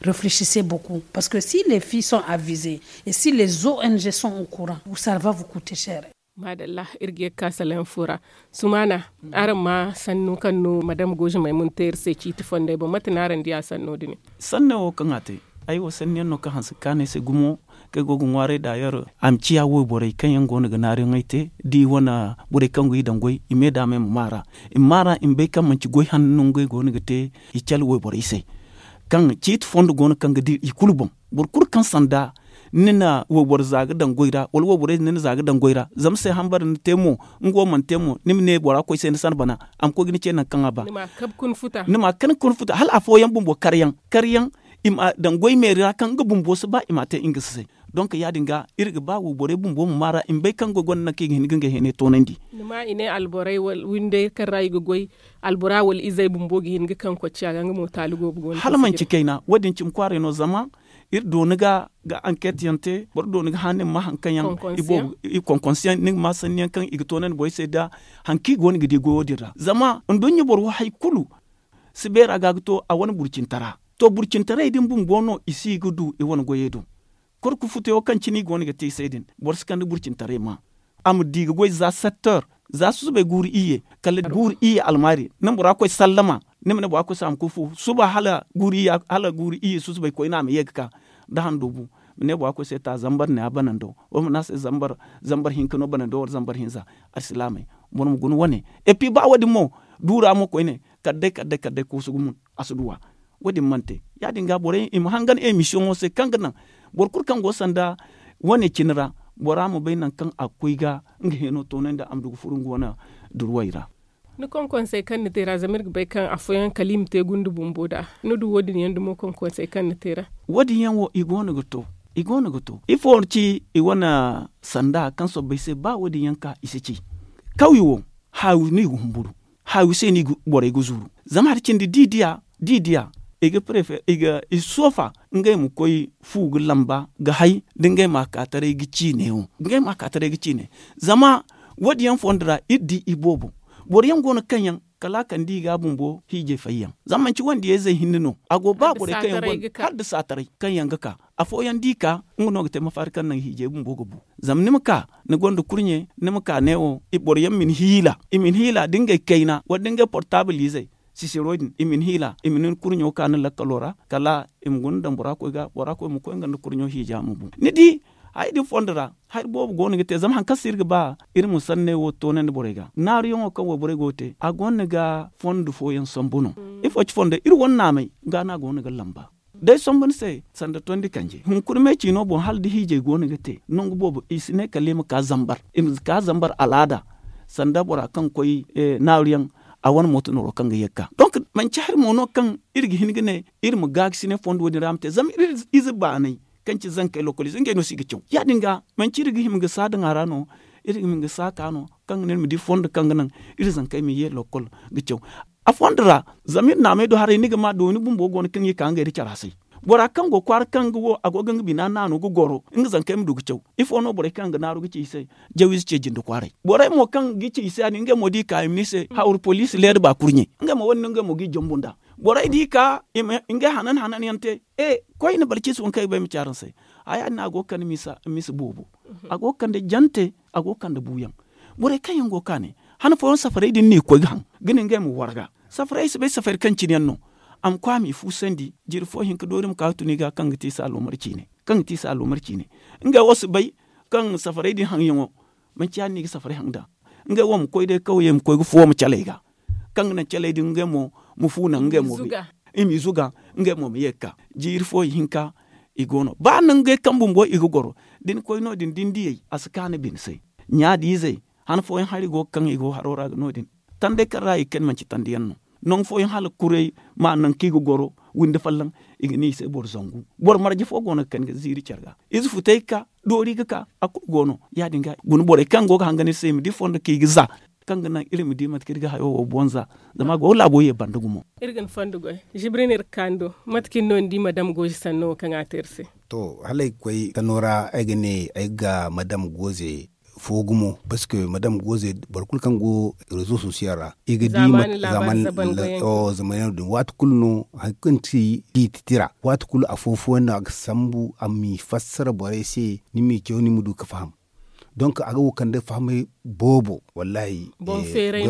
Réfléchissez beaucoup parce que si les filles sont avisées et si les ong sont au courant, ça va vous coûter cher. Maadalla. Iri ga ye ga ka salaŋ fo ra. Sumaana, araŋ ma sannu kaŋ no madame goze maymuna te iri se ciiti fondey boŋ mate no araŋ di a sanno din? Sanno wo kaŋ a te ay wo sanniyaŋ no kaŋ hanse ga kaanu ay se gumo. kaŋ ay go ga ŋwaaray daayeer a ma ciya wayborey kaŋ yaŋ go no ga naariyaŋey te da i wane borey kaŋ go i daŋ goy i me daama i ma maara i ma maara i ma bay kaŋ manci goy hanno no ngey go no ga te. I cale wayborey se kaŋ ciiti fondo go no kaŋ ga dira i kulu boŋ. Boro kulu kaŋ sanda ni na wayboro za ga daŋ goy ra wala wayborey din ni na za ga daŋ goy ra zama se hambara ni te mo nga wo mana te mo ni ma ne bora koy se ni sana bana a ma koy ga ni ce nangu kaŋ a ba. Ni ma a kabe ka ni futa hala afooyaŋ bumbo karyaŋ karyaŋ i ma daŋ goy meeri ra kaŋ nga bumbo si ba i ma a te nga si se. Donk ya- din ga iri ga ba wayborey bumbo ma maara i ma bay kaŋ goy gonda nangu kaŋ i ga hin ga ngey heenay toonandi. Ni ma i ne alborey wala windey kaŋ ra i ga goy albora wala izey bumbo ga hin ga kaŋ kocciya ga nga mo taali goobu go no hala manci kayna wo- din cimi kwaaray no zama iri dooni ga ga anket yaŋ te boro dooni ga hã ni ma ma hari kaŋ yaŋ i konkonsiyaŋ ni ga ma sanni yaŋ kaŋ i ga toonandi borey se da hari kaŋ i go no ga di goyo din ra zama nduɲɲa boro wo hari kulu si beera ga ga to a wane burcintara. To burcintaray din bumbo no i si ga du i wane goyey do. Kor ga futuyaŋo kaŋ cine i go no ga te i se din boro si kande burcintaray ma a ma di ga goy za setter za susubay guuru iyye kala guuru iyye almaari ni ma bora koy sallama ni ma ne bora koy se a ma koy fu suba hala guuru iyye susubay koyne a ma ye ga ka da handoobu ma ne bora koy se ta zambar ne a banando wala ma ne a se zambar hinka no banando wala zambar hinza. Alsilaamey boro ma guna wane epi ba wo- din mo duura mo koyne kala day kala day kala day koosu gumo a si duw'a. Wo- din mana te ya- din ga borey i ma hangan emisiyoŋo se kaŋ ga naŋ boro kulu kaŋ go sanda wane cine ra bora ma bay nangu kaŋ a ga koy ga nga heeno toonandi a ma du ga furo nga wane duruwey ra. Ni konkonsey kaŋ ni te ra zama iri ga bay kaŋ afooyaŋ kala i ma te gunde bumbo nd'a ni du wo- din yaŋ dumo konkonsey kaŋ ni te ra. Wo- din yaŋ wo i go no ga to i go no ga to ifo ci i wane sanda kaŋ sobbay se ba wo- din yaŋ ka i si ci kawye wo haawi no i ga humburu haawi se no borey ga zuru zama hari cindi da i diya da i diya i ga prefe i ga i si soofa ngey ma koy fu ga lamba ga hay da ngey ma a ka taray ga ciine wo ngey ma a ka taray ga ciine. Zama wo- din yaŋ fondo ra iri di i boobo boro yaŋ go no kaŋ yaŋ kala a kande i ga a bumbo hiijay fayyaŋ zama manci wandiyayzey hinne no a go ba borey kaŋ yaŋ go hala nda saataray kaŋ yaŋ ga ka afooyaŋ da i ka nga no ga te mafaari kaŋ naŋ hiijay bumbo ga bu. Zama ni ma ka ni gonda kurɲe ni ma ka neewo boro yaŋ ma ni hiila i ma ni hiila da ngey kayna wala da ngey portaabul izey sisiro din i ma ni hiila i ma ni kurɲo ka ni lakkalo ra kala i ma guna daŋ bora koy ga bora koy ma koy nga nda kurɲo hiija ma bu ni di. Hari din fondo ra hari boobo go no ga te zama hari kaŋ se iri ga ba iri ma sanney wo toonandi borey ga naaruyaŋo kaŋ wayborey go ga te a gonda ga fondo fooyaŋ sambu no. Ifo ci fondo iri wane naamey ga no a go no ga lamba day sambu ni se sanda tondi kanje hunkuna me ciino boŋ hala da hiijay go no ga te nangu boobo i si ne kala i ma ka zambar i ma ka zambar alaada sanda bora kaŋ ga koy naaru yaŋ a wane mooto nooro kaŋ ga ye ga ka donk manci hari mo no kaŋ iri ga hin ga ne iri ma gaakasine fondo wo- din ra ma te zama iri ize baanay kaŋ ci zankey lokol ize ngey no se i ga caw ya- din ga manci iri ga hima ga saa daŋ a ra no iri ga hima ga saa ka no kaŋ ga ne iri ma di fondo kaŋ ga naŋ iri zankey ma ye lokol ga caw. A fondo ra zama iri naamey do haray ni ga ma dooni bumbo go no kaŋ i ka ngey nda care hasay bora kaŋ go kwaara kaŋ nga wo a go ga nga bina naanu ga goro nga zankey ma du ga caw. Ifo no borey kaŋ ga naaru ga ci i se jawiize ce jinde kwaaray borey mo kaŋ ga ci i se ya- din ngey mo da i ka i ma ne i se hawru poliisi leeda ba kurɲe ngey mo wo- din no ngey mo ga i jombu nd'a. Borey da i ka i ma ngey hanan hanan yaŋ te e koyne boro ciisi waŋ kaŋ ay ga ba ay ma ci araŋ se. Haya din a go ga kande misa boobo a go ga kande jante a go ga kande buuyaŋ. Borey kaŋ yaŋ go ga ka ne han fooyaŋ safarey din no i ga koy ga haŋ ga ne ngey ma warga safarey ay si bay safari kaŋ cine yaŋ no. A ma koy a m'i fuusandi jiiri fo hinka doori ma ka ga tun i ga kaŋ ga te i se aloomar ciine kaŋ ga te i se aloomar ciine. Ngey wo si bay kaŋ safarey din haŋyaŋo manci ya- din no i ga safarey haŋ nd'a. Ngey wo ma koy day kawye ma koy ga fuwo ma caley ga kaŋ ga naŋ caley din ngey mo ma fu naŋ ngey mo i m'i zuga ngey mo ma ye ga ka jiiri fo ihinka. I go no ba nangey kaŋ bumbo i ga goro da ni koy no- din da ni diyey a si ka ni bine se. Ɲaadiizey han fooyaŋ hari go ga kaŋ i go haro ra no- din tandey kaŋ ra i ga kani manci tandi yaŋ no. Nangu fooyaŋ hala kuray ma nangu kaŋ i ga goro windi folloŋ i ga ne i se boro zangu boro marje fo go no ga kani ga ziiri care ga ize futey ga ka doori ga ka a kulu go no ya- din ga guna borey kaŋ go ga hangan iri se i ma di fondo kaŋ i ga za kaŋ ga naŋ iri ma di mate kaŋ iri ga hayo wo boŋ za. Zama a go ga laabo ye banda gumo. Iri ga ni fondo goy zibri no iri ga ka ni do mate kaŋ ni no ni di madam goozi sanno wo kaŋ a te iri se? To hala ay ga koy sanno ra ay ga ne ay ga madam gooze fo gumo parce que madam gooze boro kulu kaŋ go rezo sosiyaŋ ra i ga di zamani labaari zaban goyaŋ din waati kulu no hari kaŋ ti fiiti tira waati kulu afo fooyaŋ no a ga sambu a m'i fassara borey se ni m'i caw ni ma du ga faham. Donk a ga wo kande fahamay boobo wallahi. Boŋ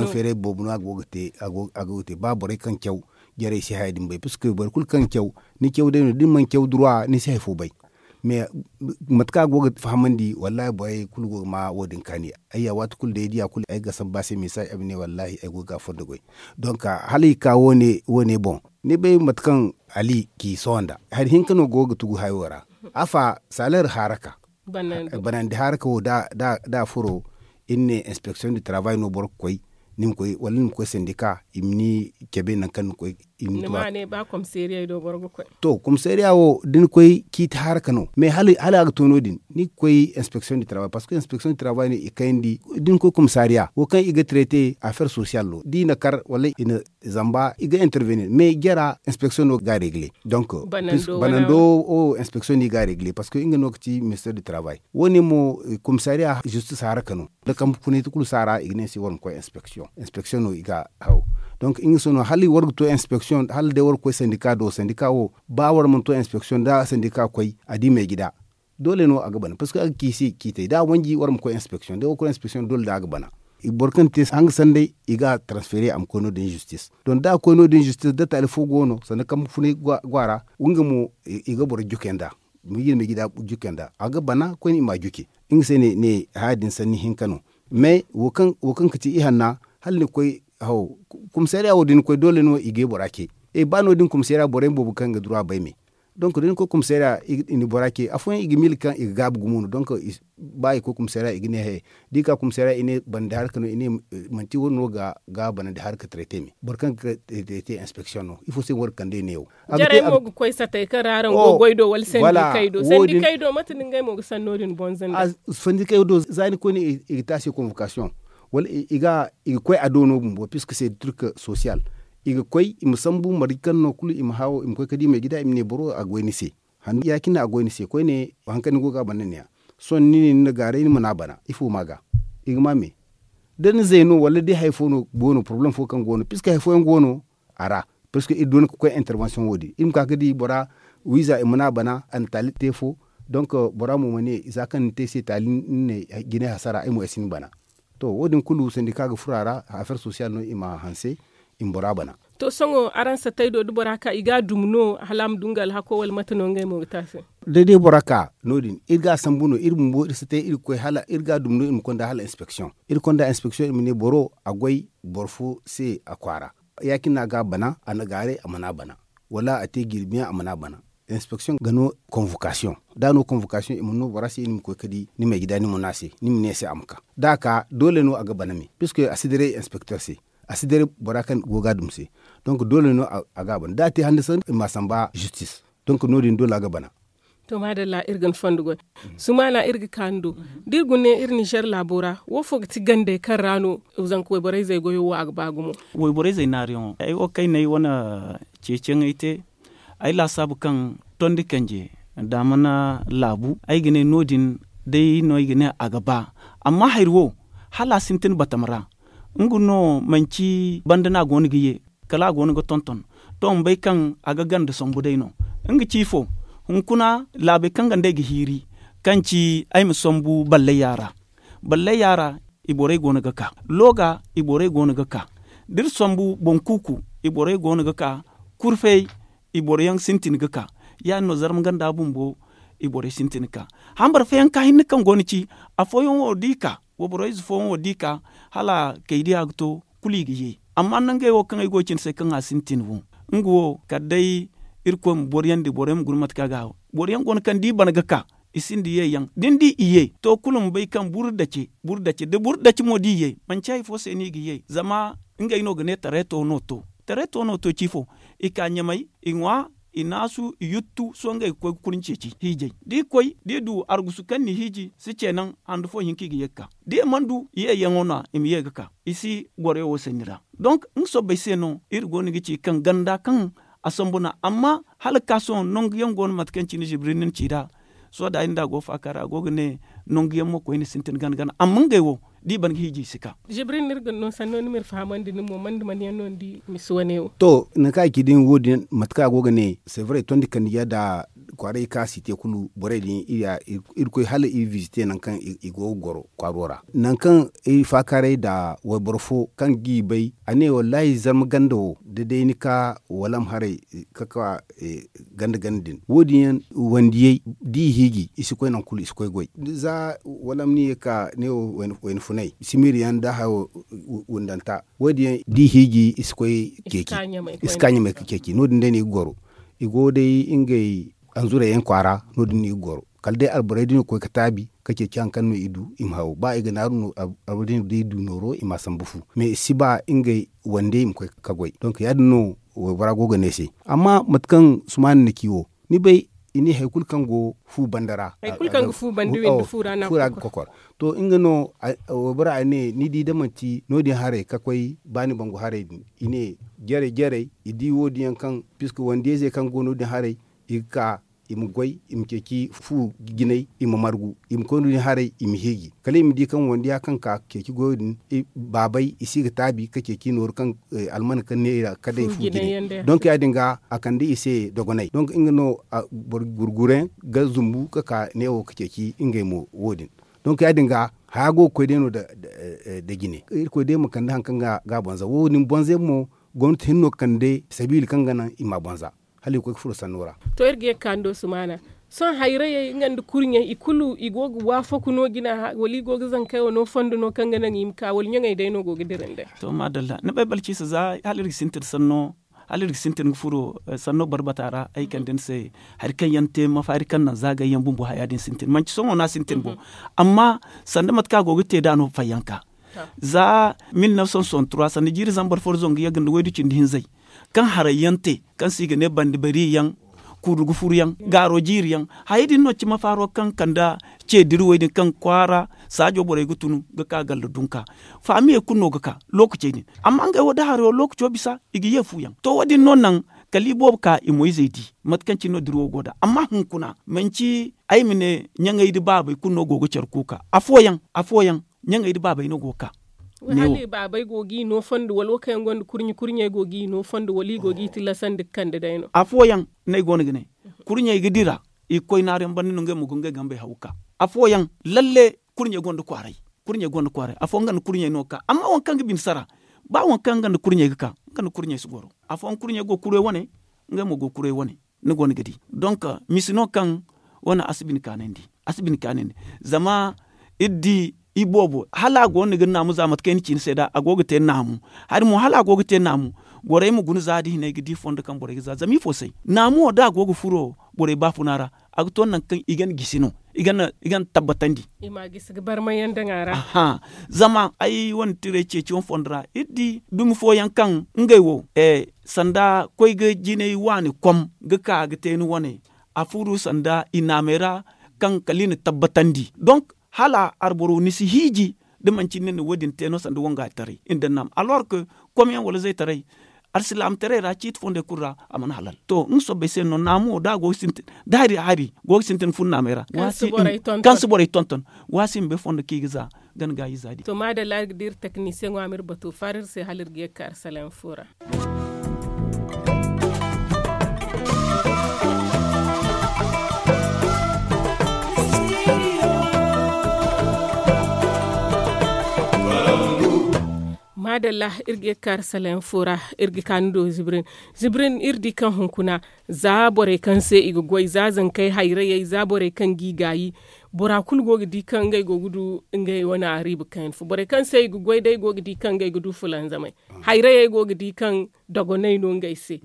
feeray boobo no a ga wo ga te a ga wo ga te ba borey kaŋ caw jarey si haya din bay parce que boro kulu kaŋ caw ni caw day no da ni mana caw duruwa ni si hari fo bay. Mais mate kaŋ a go ga fahamandi, wallahi borey kulu go ga ma wo- din kaani. Ayya, waati kulu day ay diya kulu ay ga samba se message ay ma ne wallahi ay go ga fondo goy. Donc hala i ka wo- ne boŋ, ni bay mate kaŋ ali k'i sohõ nda hari hinka no go ga tugu hayo ra. Afa, saleer haaraka, banandi haaraka wo da a furo, iri ne inspeksiyoŋ du tarabay no boro ga koy, ni ma koy wala ni ma koy sandika i ma ni cabe nangu kaŋ ni koy. I ma ni ma ne ba komiseeriya do boro ga koy. To komiseeriya wo da ni koy ciiti haaraka no mais hala a ga to no- din ni ga koy inspeksiyoŋ du tarabay parceque inspeksiyoŋ du tarabay no i kayandi. Da ni koy komiseeriya wo kaŋ i ga traite afeer sosiyal no da i na kar wala i na zamba i ga intervenir mais jara inspeksiyoŋ no ga regle. Donc banando wo inspeksiyoŋ no i ga regle parceque nga no ga ci minister du tarabay. Wo- ne mo komiseeriya zistis haaraka no. Da kambe funay ti kulu saara i ga ne se war ma koy inspeksiyoŋ inspeksiyoŋ no i ga haw. Donc nga se no hala war ga to inspeksiyoŋ hala day war ga koy sandika do sandika wo ba war mana to inspeksiyoŋ da sandika koy a di meegida. Doole no a ga bana parceque a ga ci se ciitay da a wanji war ma koy inspeksiyoŋ da war ga koy inspeksiyoŋ doole da a ga bana. Boro kaŋ te hanga sanday i ga a transfere a ma koy no- din zistis. Donk da a koy no- din zistis da taali fo go no sanda kambe funay go a ra. Nga mo i ga boro juke nda. Miji nda meegida juke nda a ga bana koyne i ma a juke. Nga se ne haya din sanni hinka no. Mais wo kaŋ ga ci ihanna hala ni ga koy haw. Komisariya wo da ni koy doole no i ga ay bora ce. Ba no- din komisariya borey boobo kaŋ ga dura bay me. Donk da ni koy komisariya i na bora ce afooyaŋ i ga miila kaŋ i ga gaabu gumo no donk. Ba i koy komisariya i ga ne he da i ka komisariya i ne banandi harka no i ne manti wo- din no ga banandi harka tarete me boro kaŋ ga te inspeksiyoŋ no ifo se ni war ga kande neewo. Jarey mo ga koy satey kaŋ ra araŋ go goy do wala sandikey do sandikey do mate no ngey mo ga sanno din bonza nda sandikey do za ni koyne i ga te a se konvokasiyoŋ wala i ga koy a do no bumbo piska se turka sosiyal. I ga koy i ma sambu marje kaŋ no kulu i ma haawo i ma koy ga di meegida i ma ne boro a goy ni se. Handu ya- cine a goy ni se koyne. Hari kaŋ ni go ga a bana ne ya sohõ ni ne ni na gaaray ni mana bana ifo ma ga i ga ma me. Da ni zay no wala day hari fo no go no porobalem fo kaŋ go no piska hari fooyaŋ go no a ra. Piska iri doona ga koy intervensiyoŋ wo- din iri ma ka ga di bora wiiza i mana bana a na taali te fo. Donk bora mo ma ne za kaŋ ni te ay se taali ni ne jine hasara ay mo ay si ni bana. To wo- din kulu sandika ga furo a ra afeer sosiyal no i ma hanse i ma bora bana. To sohõ araŋ satey do da bora ka i ga a dum no hala a ma du nga alhako wala mate no ngey mo ga te a se? Day day bora ka no- din iri ga a sambu no iri bumbo iri satey iri ga koy hala iri ga a dum no iri ma konda hala inspeksiyoŋ. Iri konda inspeksiyoŋ i ma ne boro a goy boro fo se a kwaara. Ya- cine no a ga a bana a na gaaray a mana bana wala a te jirbiyaŋ a mana bana. Inspeksiyoŋ ga no konvokasiyoŋ da a no konvokasiyoŋ i mana no bora se ni ma koy ga di ni meegida ni ma no a se ni ma ne a se a ma ka da a ka doole no a ga bana me piska a si diray inspekter se. A si diray bora kaŋ go ga a dum se. Donk doole no a ga a bana da a te handu sanni i ma a samba zistis. Donk no- din doole a ga bana. To maadalla iri ga ni fondo goy. Sumaana iri ga ka ni do da iri guna ne iri ninzeer laabo ra wo fo ga ti gandey kaŋ ra no zanka wayborey zey goyo wo a ga ba gumo? Wayborey zey naariyaŋo ay wo kaŋ ay na ay wane ceeciyaŋey te. Ay laasaabu kaŋ tondi kanje daamana laabu ay ga ne no- din day no ay ga ne a ga ba. Amma hari wo hala a sintin batama ra. Nga no manci banda no a go no ga ye kala a go no ga tonton. To ma bay kaŋ a ga ganda sambu day no. Nga ci ifo? Hunkuna laabey kaŋ ganda ay ga hiiri kaŋ ci ay ma sambu ballayya ra. Ballayya ra i borey go no ga ka looga i borey go no ga ka da iri sambu boŋ kuuku i borey go no ga ka. Kurfey i boro yaŋ sintin ga ka. Ya- din no zarma ganda bumbo i borey sintin ga ka. Hambara fooyaŋ ka hinne kaŋ go no ci afooyaŋ wo da i ka wayboro ize fooyaŋ wo da i ka hala kay diya ga to kulu i ga ye. Amma nangey wo kaŋ ay go ga cine se kaŋ a sintin wo nga wo kala day irkoy ma boro yaŋ di boro yaŋ ma guna mate kaŋ a ga haw. Boro yaŋ go no kaŋ da i bana ga ka i sinda ye yaŋ da ni di i ye to kulu ma bay kaŋ buru dace buru dace da buru dace mo da i ye manci hari fo se no i ga ye zama ngey no ga ne tareeto no to. Tareeto no to ci ifo? I ka ɲamay i ŋwa i naasu i yuttu sohõ ngey ga koy ga kurni ceeci hiijay da i koy da i du argusu kaŋ n'i hiiji si ce naŋ handu fo hinka i ga ye ga ka da i mana du yeeyaŋo no- ya i ma ye ga ka i si goroyo wo sanni ra. Donk nga sobbay se no iri go no ga ci kaŋ ganda kaŋ a sambu no amma hala ga ka sohõ nangu yaŋ go no mate kaŋ cine zibiri ni na ci nd'a. Sohõ da ay nda a go faaka ra a go ga ne nangu yaŋ mo koyne sintin gana gana amma ngey wo da i ban ga hiiji i si ka. Zibrin ni iri ga no sanno ni ma iri fahamandi ni mo manda mana yaŋ no ni di misi wane wo. To nangu kaŋ a ci din wo- din mate kaŋ a go ga ne sevre tondi kandija nda kwaaray kaŋ a si te kulu borey din iri koy hala iri visite nangu kaŋ i go ga goro kwaaro ra nangu kaŋ iri faakaaray nda wayboro fo kaŋ ga i bay a ne wallaahi zarma ganda wo da day ni ka walam haray ka ka ganda ganda din wo- din yaŋ wandiyey da i hiiji i si koy nangu kulu i si koy goy za walam ni ye ka ne wo wayna funay simiiri yaŋ nda hayo wundanta wo- din yaŋ da i hiiji i si koy ceeci i si ka ɲamay ga ceeci no- din day no i ga goro i go day ngey anzurey yaŋ kwaara no- din no i ga goro kala day alborey din ga koy ga taabi ka ceeci hari kaŋ no i du i ma haw ba i ga naaru no alborey din ga du nooro i ma a sambu fu mais i si ba ngey wande i ma koy ga goy donk ya- din no waybora go ga ne ay se amma mate kaŋ sumaana na ci wo ni bay i ne hari kulu kaŋ go fu banda ra hari kulu kaŋ ga fu banda windi fu ra no a ga kokor to nga no waybora a ne ni di da manti no- din haray ka koy ba ni bangu haray din i ne jarey jarey i di wo- din yaŋ kaŋ piska wandiyayzey kaŋ go no- din haray i ga ka i ma goy i ma ceeci fu jinay i ma margu i ma koy no- din haray i ma hiiji kala i ma di kaŋ wandiya kaŋ ka ga ceeci goyo din baabay i si ga taabi ka ceeci nooru kaŋ almana kaŋ ne i ra ka day fu jinay donk ya- din ga a kande i se dogonay donk nga no boro gurgure ga zumbu ga ka neewo ga ceeci ngey mo wo- din donk ya- din ga haya go ga koy day no nda jine irkoy day ma kande hari kaŋ ga a bonza wo- din bonzey mo gomnati hinno ga kande sabiili kaŋ ga naŋ i ma a bonza hala i ga koy ga furo sanno ra to iri ga ye ga ka ni do sumaana sohõ hayrayey nga nda kurɲey i kulu i go ga waafaku no jina wala i go ga zankey wo no fondo no kaŋ ga naŋ i ma ka wala ɲaŋey day no go ga dira nd'ey to maadalla ni bay balciisa za hala iri ga sintin sanno hala iri ga sintin ga furo sanno barbata ra ay kande ni se hari kaŋ yaŋ te mafaari kaŋ naŋ zaagay yaŋ bumbo haya din sintin manci sohõ no a sintin bo amma sanda mate kaŋ a go ga te da no fayyanka za mil neuf cent soixante trois sanda jiiri zambar foro zangu yagga nda waydu cindi hinzey kaŋ haray yaŋ te kaŋ se i ga ne bandi bari yaŋ kuuru ga furu yaŋ gaaro jiiri yaŋ hayey din no cima faaro kaŋ kande ce diriwey din kaŋ kwaara saajo borey ga tun ga ka galla dunka faamiyey kulu no ga ka lookacey din amma ngey wo da haray wo lookaco bisa i ga ye fu yaŋ to wo- din no naŋ kala i boobo ka i moyzey di mate kaŋ cine no diriwo go nd'a amma hunkuna manci ay ma ne ɲaŋey nda baabey kulu no go ga care kuuka afooyaŋ afooyaŋ ɲaŋey nda baabey no go ga ka hala i baabey go ga i no fondo wala wo kaŋ yaŋ gonda kurɲe kurɲey go ga i no fondo wala i go ga i tillasandi ga kande day no afooyaŋ no ay go no ga ne kurɲey ga dira i ga koy naaru yaŋ banda no ngey mo ga ngey gambey haw ga ka afooyaŋ lalle kurɲey gonda kwaaray kurɲey gonda kwaaray afooyaŋ nga nda kurɲey no ga ka amma waŋ kaŋ ga bine sara ba waŋ kaŋ nga nda kurɲey ga ka nga nda kurɲey si goro afooyaŋ kurɲey go ga kuray wane ngey mo go ga kuray wane ni go no ga di donk misi no kaŋ wane a si bine kaanandi a si bine kaanandi zama iri di i boobo hala a go no ni ga naamu za mate kaŋ ay na ci ni se nd'a a go ga te naamu hari mo hala a go ga te naamu borey ma guna za da hinay ga di fondo kaŋ borey ga za zama ifo se naamu wo da a go ga furo borey baafuna ra a ga to nangu kaŋ i ga ni gisi no i ga ni tabbatandi i ma a gisi ga barmay yaŋ daŋ a ra zama ay wane tiray ceeci wane fondo ra iri di dumi fooyaŋ kaŋ ngey wo sanda koy ga jinay waani kom ga ka ga te ni wane a furu sanda i naamey ra kaŋ kala i na tabbatandi donk hala arboro ni si hiiji da manci ni na wo- din te no sanda wangaytaray nda naam alors que kom yaŋ wala zaytaray alsilaamataray ra ciiti fondey kulu ra a mana halal to nga soobay se no naamu wo da a go ga sintin da hari hari go ga sintin fun naamey ra kaŋ si borey tonton waasi ma bay fondo kaŋ i ga za gana gaayi za din to maadalla iri ga di iri teknisiyeŋo a ma iri batu faara iri se hala iri ga ye ga ka iri salaŋ fo ra maadalla iri ga ye ga ka iri salaŋ fo ra iri ga ka ni do zibrin zibrin iri di kaŋ hunkuna za borey kaŋ se i ga goy za zankey hayrayey za borey kaŋ g'i gaayi bora kulu go ga di kaŋ ngey go ga du ngey wane ariiba kaŋ yaŋ fo borey kaŋ se i ga goy day go ga di kaŋ ngey ga du fulanzamey hayrayey go ga di kaŋ dogoney no ngey se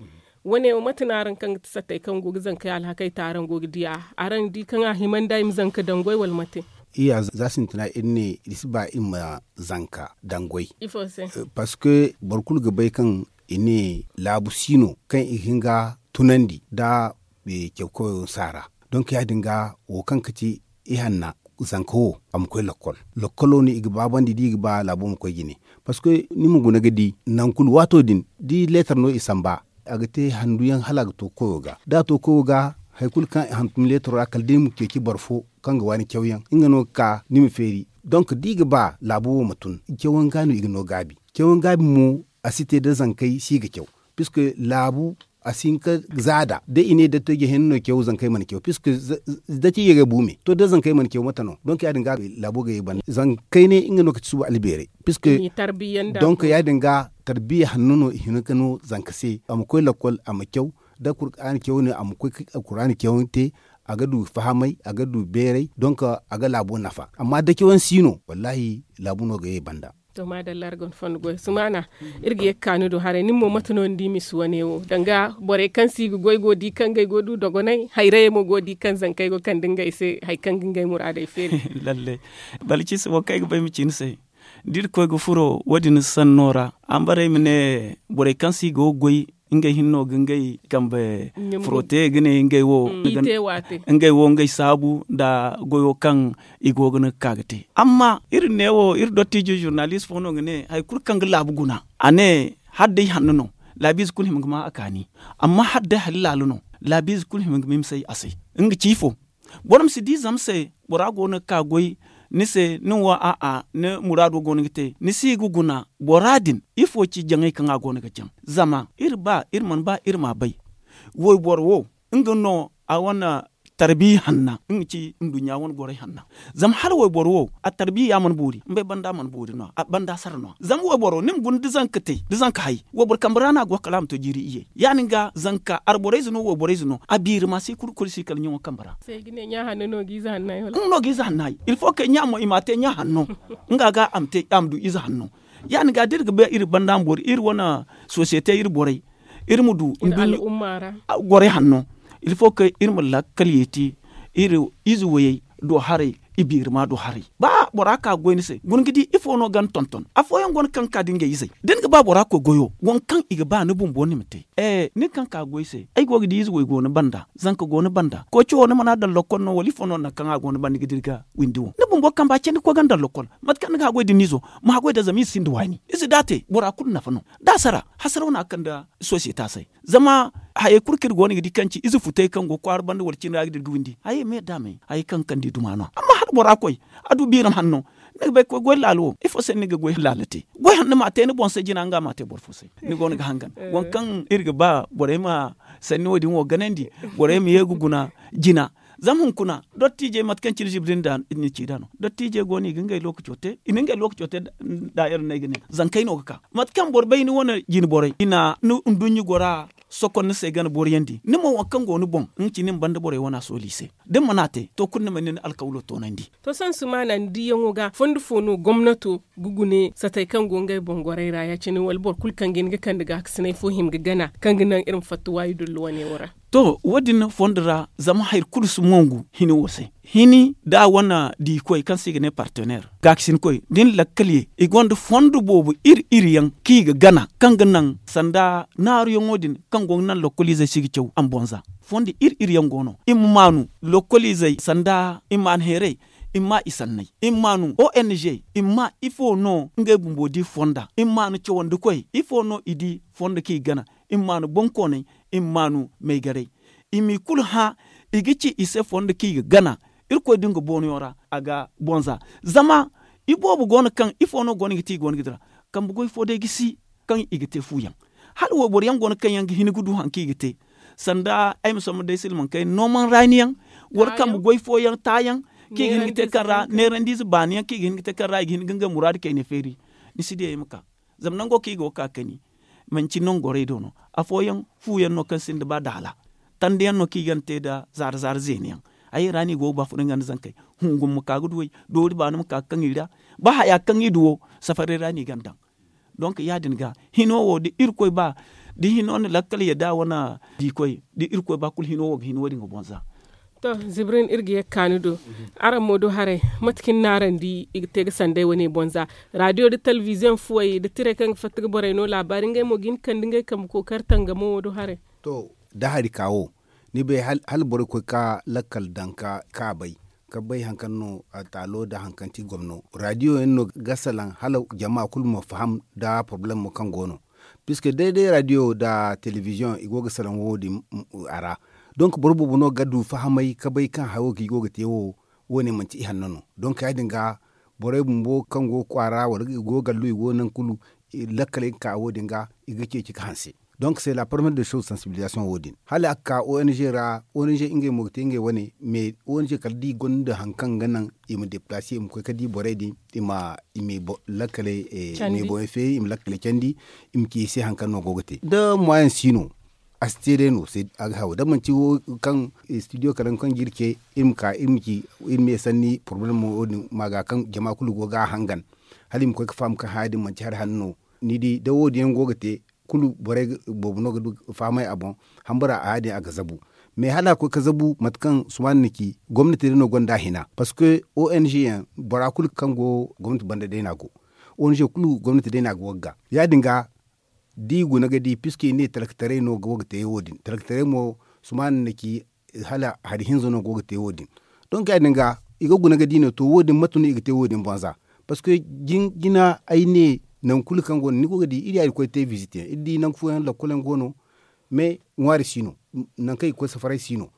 wane wo mate no araŋ kaŋ ga ti sattey kaŋ go ga zankey alhakey te araŋ go ga di a araŋ di kaŋ a himandi ay ma zanka daŋ goy wala mate iyya za sintina iri ne iri si ba iri ma zanka daŋ goy parce que boro kulu ga bay kaŋ i ne laabu si no kaŋ i ga hin ga tunandi nda caw koyo saara donk ya- din ga wo kaŋ ga ti ihanna zanka wo a ma koy lakkol lakkolo no i ga baabandi da i ga ba laabo ma koy jine parce que ni ma guna ga di nangu kulu waato din da leetar no i samba a ga te handu yaŋ hala a ga to koyo ga da a to koyo ga hari kulu kaŋ i hantum leetaro ra kala day ma ceeci boro fo kaŋ ga waani cawyaŋ nga no ga ka ni ma feeri Donk da i ga ba laabu wo ma tun, cawan ga no i ga no gaabi. Cawan gaabi mo, a si te da zankey si ga caw. Puisque laabu a si hin ka zaada da i ne dattijo hinne no caw zankey mana caw puisque dattijo ga bu me to da zankey mana caw mate no donk ya- din ga laabo ga ye banda zankey ne nga no ga ci suba albeeray puisque donk ya- din ga tarbiya hanno no i hina ga no zanka se a ma koy lakkol a ma caw da kur'aani caw ne a ma koy kur'aani caw te. A ga du fahamay a ga du beeray donk a ga laabo nafa amma da cawan si no wallaahi laabu no ga ye banda. To maadalla iri gonda fondo goy sumaana. Iri ga ye ga kaanu do haray nin mo mate no ni di misi wane wo danga borey kaŋ se i ga goy go di kaŋ ga ay go du dogonay hayrayey mo go di kaŋ zankey go kande ngey se hari kaŋ ga ngey muraadey feeri. Lalle balcisi wo kaŋ ay ga ba ay ma ci ni se da iri koy ga furo wo- din sanno ra. Ambaray ma ne borey kaŋ se i go ga goy ngey hinne no ga ngey kambe furo te ga ne ngey wo ngey wo ngey saabu nda goyo kaŋ i go ga ni ga ka ga te. Amma iri ne wo iri dottijo zurnalist fo no ga ne hari kulu kaŋ ga laabu guna a ne hala day hanno no laabiize kulu hima ga ma a kaani. Amma hala day hari laalo no laabiize kulu hima ga ma hima say a se. Nga ci ifo boro ma si di zama se bora go no ga ka goy ni se nin wo a'a ni muraado go no ga te ni si ga guna bora din ifo ci jaŋay kaŋ a go no ga jaŋ? Zama iri ba iri mana ba iri m'a bay wayboro wo nga no a wane tarbiya hanna nga ci nduɲɲa wane goray hanna. Zama hala wayboro wo a tarbiya ya mana boori nbay banda mana boori no a banda sara no zama wayboro ni ma guna da zanka te da zanka hay wayboro kambe ra no a go kala a ma to jiiri iyye ya- din ga zanka arborayze no wayborayze no a biiri ma si kulu kulu si kala ɲaŋo kambe ra. Nga no ga ize hanno hay ilfo kay ɲa mo i m'a te ɲa hanno nga ga a ma du ize hanno. Ya- din ga da iri ga bay iri banda ma boori iri wane sosiyete iri borey iri ma du nduɲɲa goray hanno. Ilfo kay iri ma lakkal yeeti iri ize wayey do haray i biiri ma do haray ba bora ka ga goy ni se guna ga di ifo no ga ni tonton afooyaŋ go no kaŋ ga ka da ngey izey da ni ga ba bora koy goyo waŋ kaŋ i ga ba ni bumbo ni ma te. Nin kaŋ ka ga goy se ay go ga di ize way go ni banda zanka go ni banda koy cawo ni mana daŋ lokkol no wala ifo no nangu kaŋ a go ni banda ni ga dira ga windi wo ni bumbo kamba candi koy ga ni daŋ lokkol. Mate kaŋ ni ga haggoy da ni izo ma haggoy da zama ize sinda waani ize da a te bora kulu nafa no da a sara hasaraw no a ga kande sosiyete a se. Zama hayey kulu kaŋ iri go no ga di kaŋ ci ize futay kaŋ go kwaara banda wala cine ra ga dira ga windi hayey me da me hayey kaŋ ga kande i duma no amma hala bora koy a du biiram hanno. Ni ga bay ga koy goy laalo wo ifo se no ni ga goy laalo te goy hanno ma a te ni boŋ se jina nga ma a te boro fo se. Ni go no ga hangan waŋ kaŋ iri ga ba borey ma sanni wo- din wo ganandi borey ma ye ga guna jina. Zama hunkuna dottiijey mate kaŋ cine zibri nda ni ci nd'a no dottiijey go no i ga ngey lookaco te i na ngey lookaco te. Daayar no ay ga ne zankey no ga ka mate kaŋ boro bay ni wane jine borey i na ni nduɲɲa gora sokon ni se gana boroyaŋ di ni mo waŋ kaŋ go ni boŋ nga ci ni ma banda borey wana sooli i se. Da ni mana te to kulu ni ma ni na alkawlo toonandi. To sohõ sumaana ni diyaŋo ga fondo fo no gomnato ga gune satey kaŋ go ngey boŋ gorey ra ya- cine wala boro kulu kaŋ ga hin ga kande gaakasinay fo hima ga gana kaŋ ga naŋ iri ma fatta waayi dullu wane wo ra? To wo- din fondo ra zama hari kulu si mongu hini wo se hini da a wane diikoy kaŋ se i ga ne partener gaakasinkoy da ni lakkal ye i gonda fondo boobo iri iri yaŋ kaŋ i ga gana kaŋ ga naŋ sanda naaruyaŋo din kaŋ go ga naŋ lokkoliizey se i ga caw a ma bonza. Fondo iri iri yaŋ go no i ma maanu lokkoliizey sanda i ma maanu heeray i ma ma i sanney i ma maanu ong i ma ma ifo no ngey bumbo di fonda i ma maanu cawandikoy ifo no i di fondo kaŋ i ga gana i ma maanu bonkooney i ma maanu maygaray i m'i kulu hã i ga ci i se fondo kaŋ i ga gana. Irkoy da nga boonoyaŋ ra a ga bonza zama iboobo go no kaŋ ifo no go no i ga te i go no ga dira kambe goy fo day ga si kaŋ i ga te fu yaŋ hala wayboro yaŋ go no kaŋ yaŋ ga hin ga du hari kaŋ i ga te sanda ay ma somma day silmaŋ kayna nooman raani yaŋ wala kambe goy fooyaŋ taayaŋ kaŋ i ga hin ga te kaŋ ra neerandiize baani yaŋ kaŋ i ga hin ga te kaŋ ra i ga hin ga ngey muraadu kayna feeri. Ni si di ay ma ka zama nango kaŋ i go ga ka ga kani manci nangu gorey do no afooyaŋ fu yaŋ no kaŋ sinda ba daala tanda yaŋ no kaŋ i gana te nda zaara zaara zeena yaŋ. Ay ra no i go ga ba furo nga nda zankey hungu ma ka ga du ay doori baani ma ka ga kaŋ i ra ba haya kaŋ i du wo safaray ra no i gana daŋ. Donk ya- din ga hino wo da irkoy ba da hino na lakkal yadda wane diikoy da irkoy ba kulu hino wo ga hin wo- din ga bonza. To zibrin iri ga ye ga ka ni do araŋ mo do haray mate kaŋ ni ne araŋ di i ga te ga sanday wane bonza radiyo nda telebiziyoŋ fuwey nda tirey kaŋ ga fatta ga borey no laabaari ngey mo ga hin ga kande ngey kambe kookari tangamo wo do haray. To da hari ka wo ni bay hala borey koy ka lakkal daŋ ka bay ka bay hari kaŋ no taalo nda hari kaŋ ti gomno radiyo yaŋ no ga salaŋ hala jama kulu ma faham nda porobalem mo kaŋ go no. Puisque day day radiyo nda telebiziyoŋ i go ga salaŋ wo- din a ra. Donk boro boobo no ga du fahamay ga bay kaŋ haro kaŋ i go ga te wo wo- ne manti ihanno no donk ya- din ga borey bumbo kaŋ go kwaara wala i go gallo i go nangu kulu. Lakkaley ga ka wo- din ga i ga ceeci ga hanse. Donk se la parmiyere de soz sansibilizasiyoŋ wo- din hala a ga ka o n g ra o n g ngey mo ga te ngey wane. Mais o n g kala da i gonda hari kaŋ ga naŋ i ma depilase i ma koy ga di borey din i ma lakkaley i ma lakkaley candi i ma ci i se hari kaŋ no go ga te da moyen si no. A si te day no se a ga haw da manti wo kaŋ studio kala kaŋ ga iri ce iri ma ka iri ma ci iri ma ye sanni porobalem wo- din ma ga kaŋ jama kulu go ga a hangan. Hala i ma koy ga faham kaŋ haya din manti hari hanno no. Ni di da wo- din yaŋ go ga te kulu borey boobo no ga du ga fahamay a boŋ. Hambara haya din a ga zabu. Mais hala a koy ga zabu mate kaŋ sumaana na ci gomnati day no gonda a hina parceque o n g yaŋ bora kulu kaŋ go gomnati banda day no a go. O n g kulu gomnati day no a go ga ga ya- din ga da i guna ga di puisque i ne talkataray no go ga te wo- din talkataray mo sumaana na ci hala hari hinza no go ga te wo- din. Donk ya- din ga i ga guna ga di no to wo- din mate no i ga te wo- din bonza. Parceque jina ay ne nangu kulu kaŋ go no ni go ga di iri ya iri koy te visite yaŋ iri di nangu fooyaŋ lakkol yaŋ go no. Mais ŋwaari si no. Nangu kaŋ i ga koy safaray si no.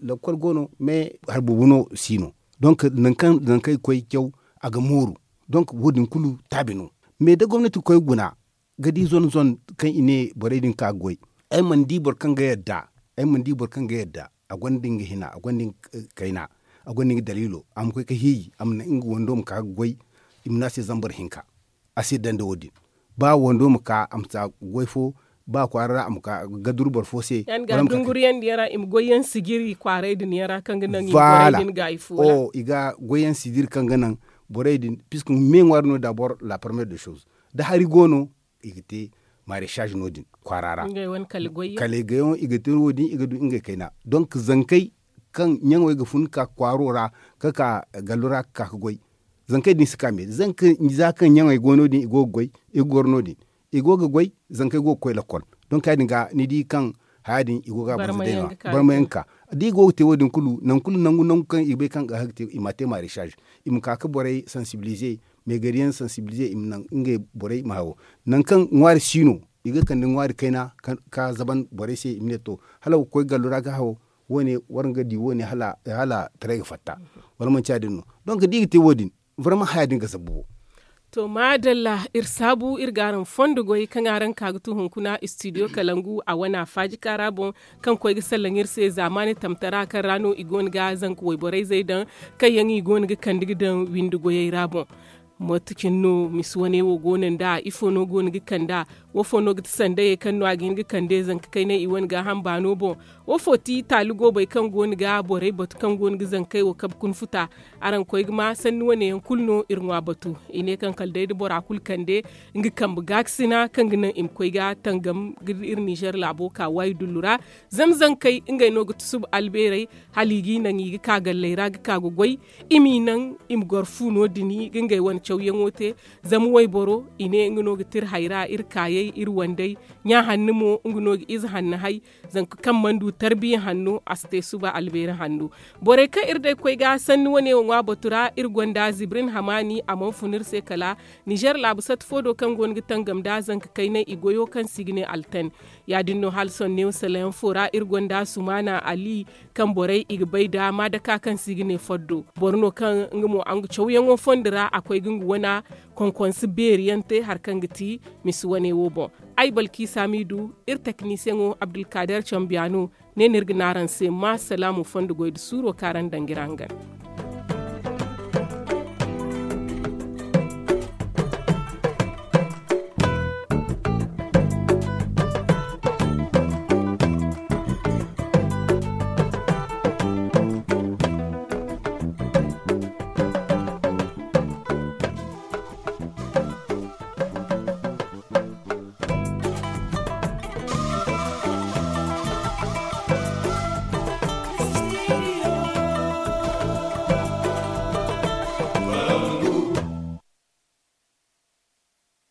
Lakkol go no mais hari boobo no si no. Donk nangu kaŋ i ga koy caw a ga mooru. Donk wo- din kulu taabi no. Mais da gomnati ga koy guna ga di zone zone kaŋ i ne borey din ka ga goy. Ay mana di boro kaŋ ga yadda ay mana di boro kaŋ ga yadda a gonda nga hina a gonda nga kayna a gonda nga daliilo a ma koy ga hiiji a ma naŋ nga wando ma ka ga goy. I ma ne a se zambar hinka. A si yadda nda wo- din ba wando ma ka a ma si a goy fo. Ba kwaara ra a ma ka ga duru boro fo se. Yaŋ ga dunguriyandi yaŋ ra i ma goy yaŋ sijiri kwaaray din yaŋ ra kaŋ ga naŋ i ma goy yaŋ sijiri kaŋ ga naŋ borey din puisque me ŋwaari no dabor la parmiyere de soz da hari go no i ga te maresaz no- din kwaara ra. Kala i ga yaŋo i ga te wo- din i ga du ngey kayna donk zankey kaŋ ɲaŋo ga fun ga ka kwaaro ra ga ka gallo ra ga ka ga goy. Zankey din si ka me za kaŋ ɲaŋey go no- din i go ga goy i ga goro no- din i go ga goy zankey go ga koy lakkol. Donk ya- din ga ni di kaŋ haya din i go ga a banza day no- ya barma yaŋ ga ka da i go ga te wo- din kulu nangu kulu nangu nangu kaŋ i ga bay kaŋ ga hagga te i ma a te maresaz. I ma ka ga borey sansibilize meegari yaŋ sansibilize i ma naŋ ngey borey ma hawo. Nangu kaŋ ŋwaari si no i ga kande ŋwaari kayna ka zaban borey se i ma ne to hala wa ga koy gallo ra ga hawo. Wo- ne waraŋ ga di wo- ne hala taray ga fatta wala manti ya- din no? Donk da i ga te wo- din barma haya din ga zabbu bo. To maadalla iri saabu iri ga araŋ fondo goy kaŋ araŋ ka ga tu hunkuna istidiyo kalangu a wane a faaji kaara boŋ kaŋ koy ga sallaŋ iri se zaamaani tamtara kaŋ ra no i go no ga zanka wayborey zey daŋ kaŋ yaŋ i go no ga kande ga daŋ windi goyey ra boŋ. Mate cine no misi wane wo go no nd'a ifo no go no ga kand'a? Wofo no ga ti sandayey kaŋ no a ga hin ga kande zanka kaynay i wane gaaham baano boŋ? Wofo ti taali goobey kaŋ go no ga borey batu kaŋ go no ga zankey wo kabe kuna futa? Araŋ koy ga ma sanni wane yaŋ kulu no iri ŋwa batu. I ne kaŋ kala day da bora kulu kande nga kambe gaakasina kaŋ ga naŋ i ma koy ga tangam ga iri ninzeer laabo ka waayi dullu ra. Zama zankey ngey no ga tusuba albeerey hala i g'i naŋ i ga ka galley ra ga ka ga goy. I m'i naŋ i ma goro fu no- din ga ngey wane cawyaŋo te. Zama wayboro i ne nga no ga ti iri hayra iri kaayey iri wandey. Ɲa hanno mo nga no ga ize hanno hay. Zanka kaŋ mana du tarbiya hanno a si te suba albeeri hanno. Borey kaŋ iri day koy ga sanni wane wo ŋwa batu ra iri gonda zibrin hamaani a mana fun iri se kala ninzeer laabu sata fo do kaŋ go no ga tangam nda zanka kaynay i goyo kaŋ se i ga ne altan. Ya- din no hala sohõ neewo salayaŋ fo ra iri gonda sumaana ali kaŋ borey i ga bay nda maadaka kaŋ se i ga ne foddo. Boro no kaŋ nga mo a nga cawyaŋo fondo ra a koy ga nga wana konkonse beeri yaŋ te hari kaŋ ga ti misi wane wo boŋ. Ay balkiisa m'i du iri teknisiyeŋo abdulkaader cambiya no. Ne no iri ga ne araŋ se ma salaamu fondo goy nda suuro kaŋ araŋ daŋ ga iri hangan.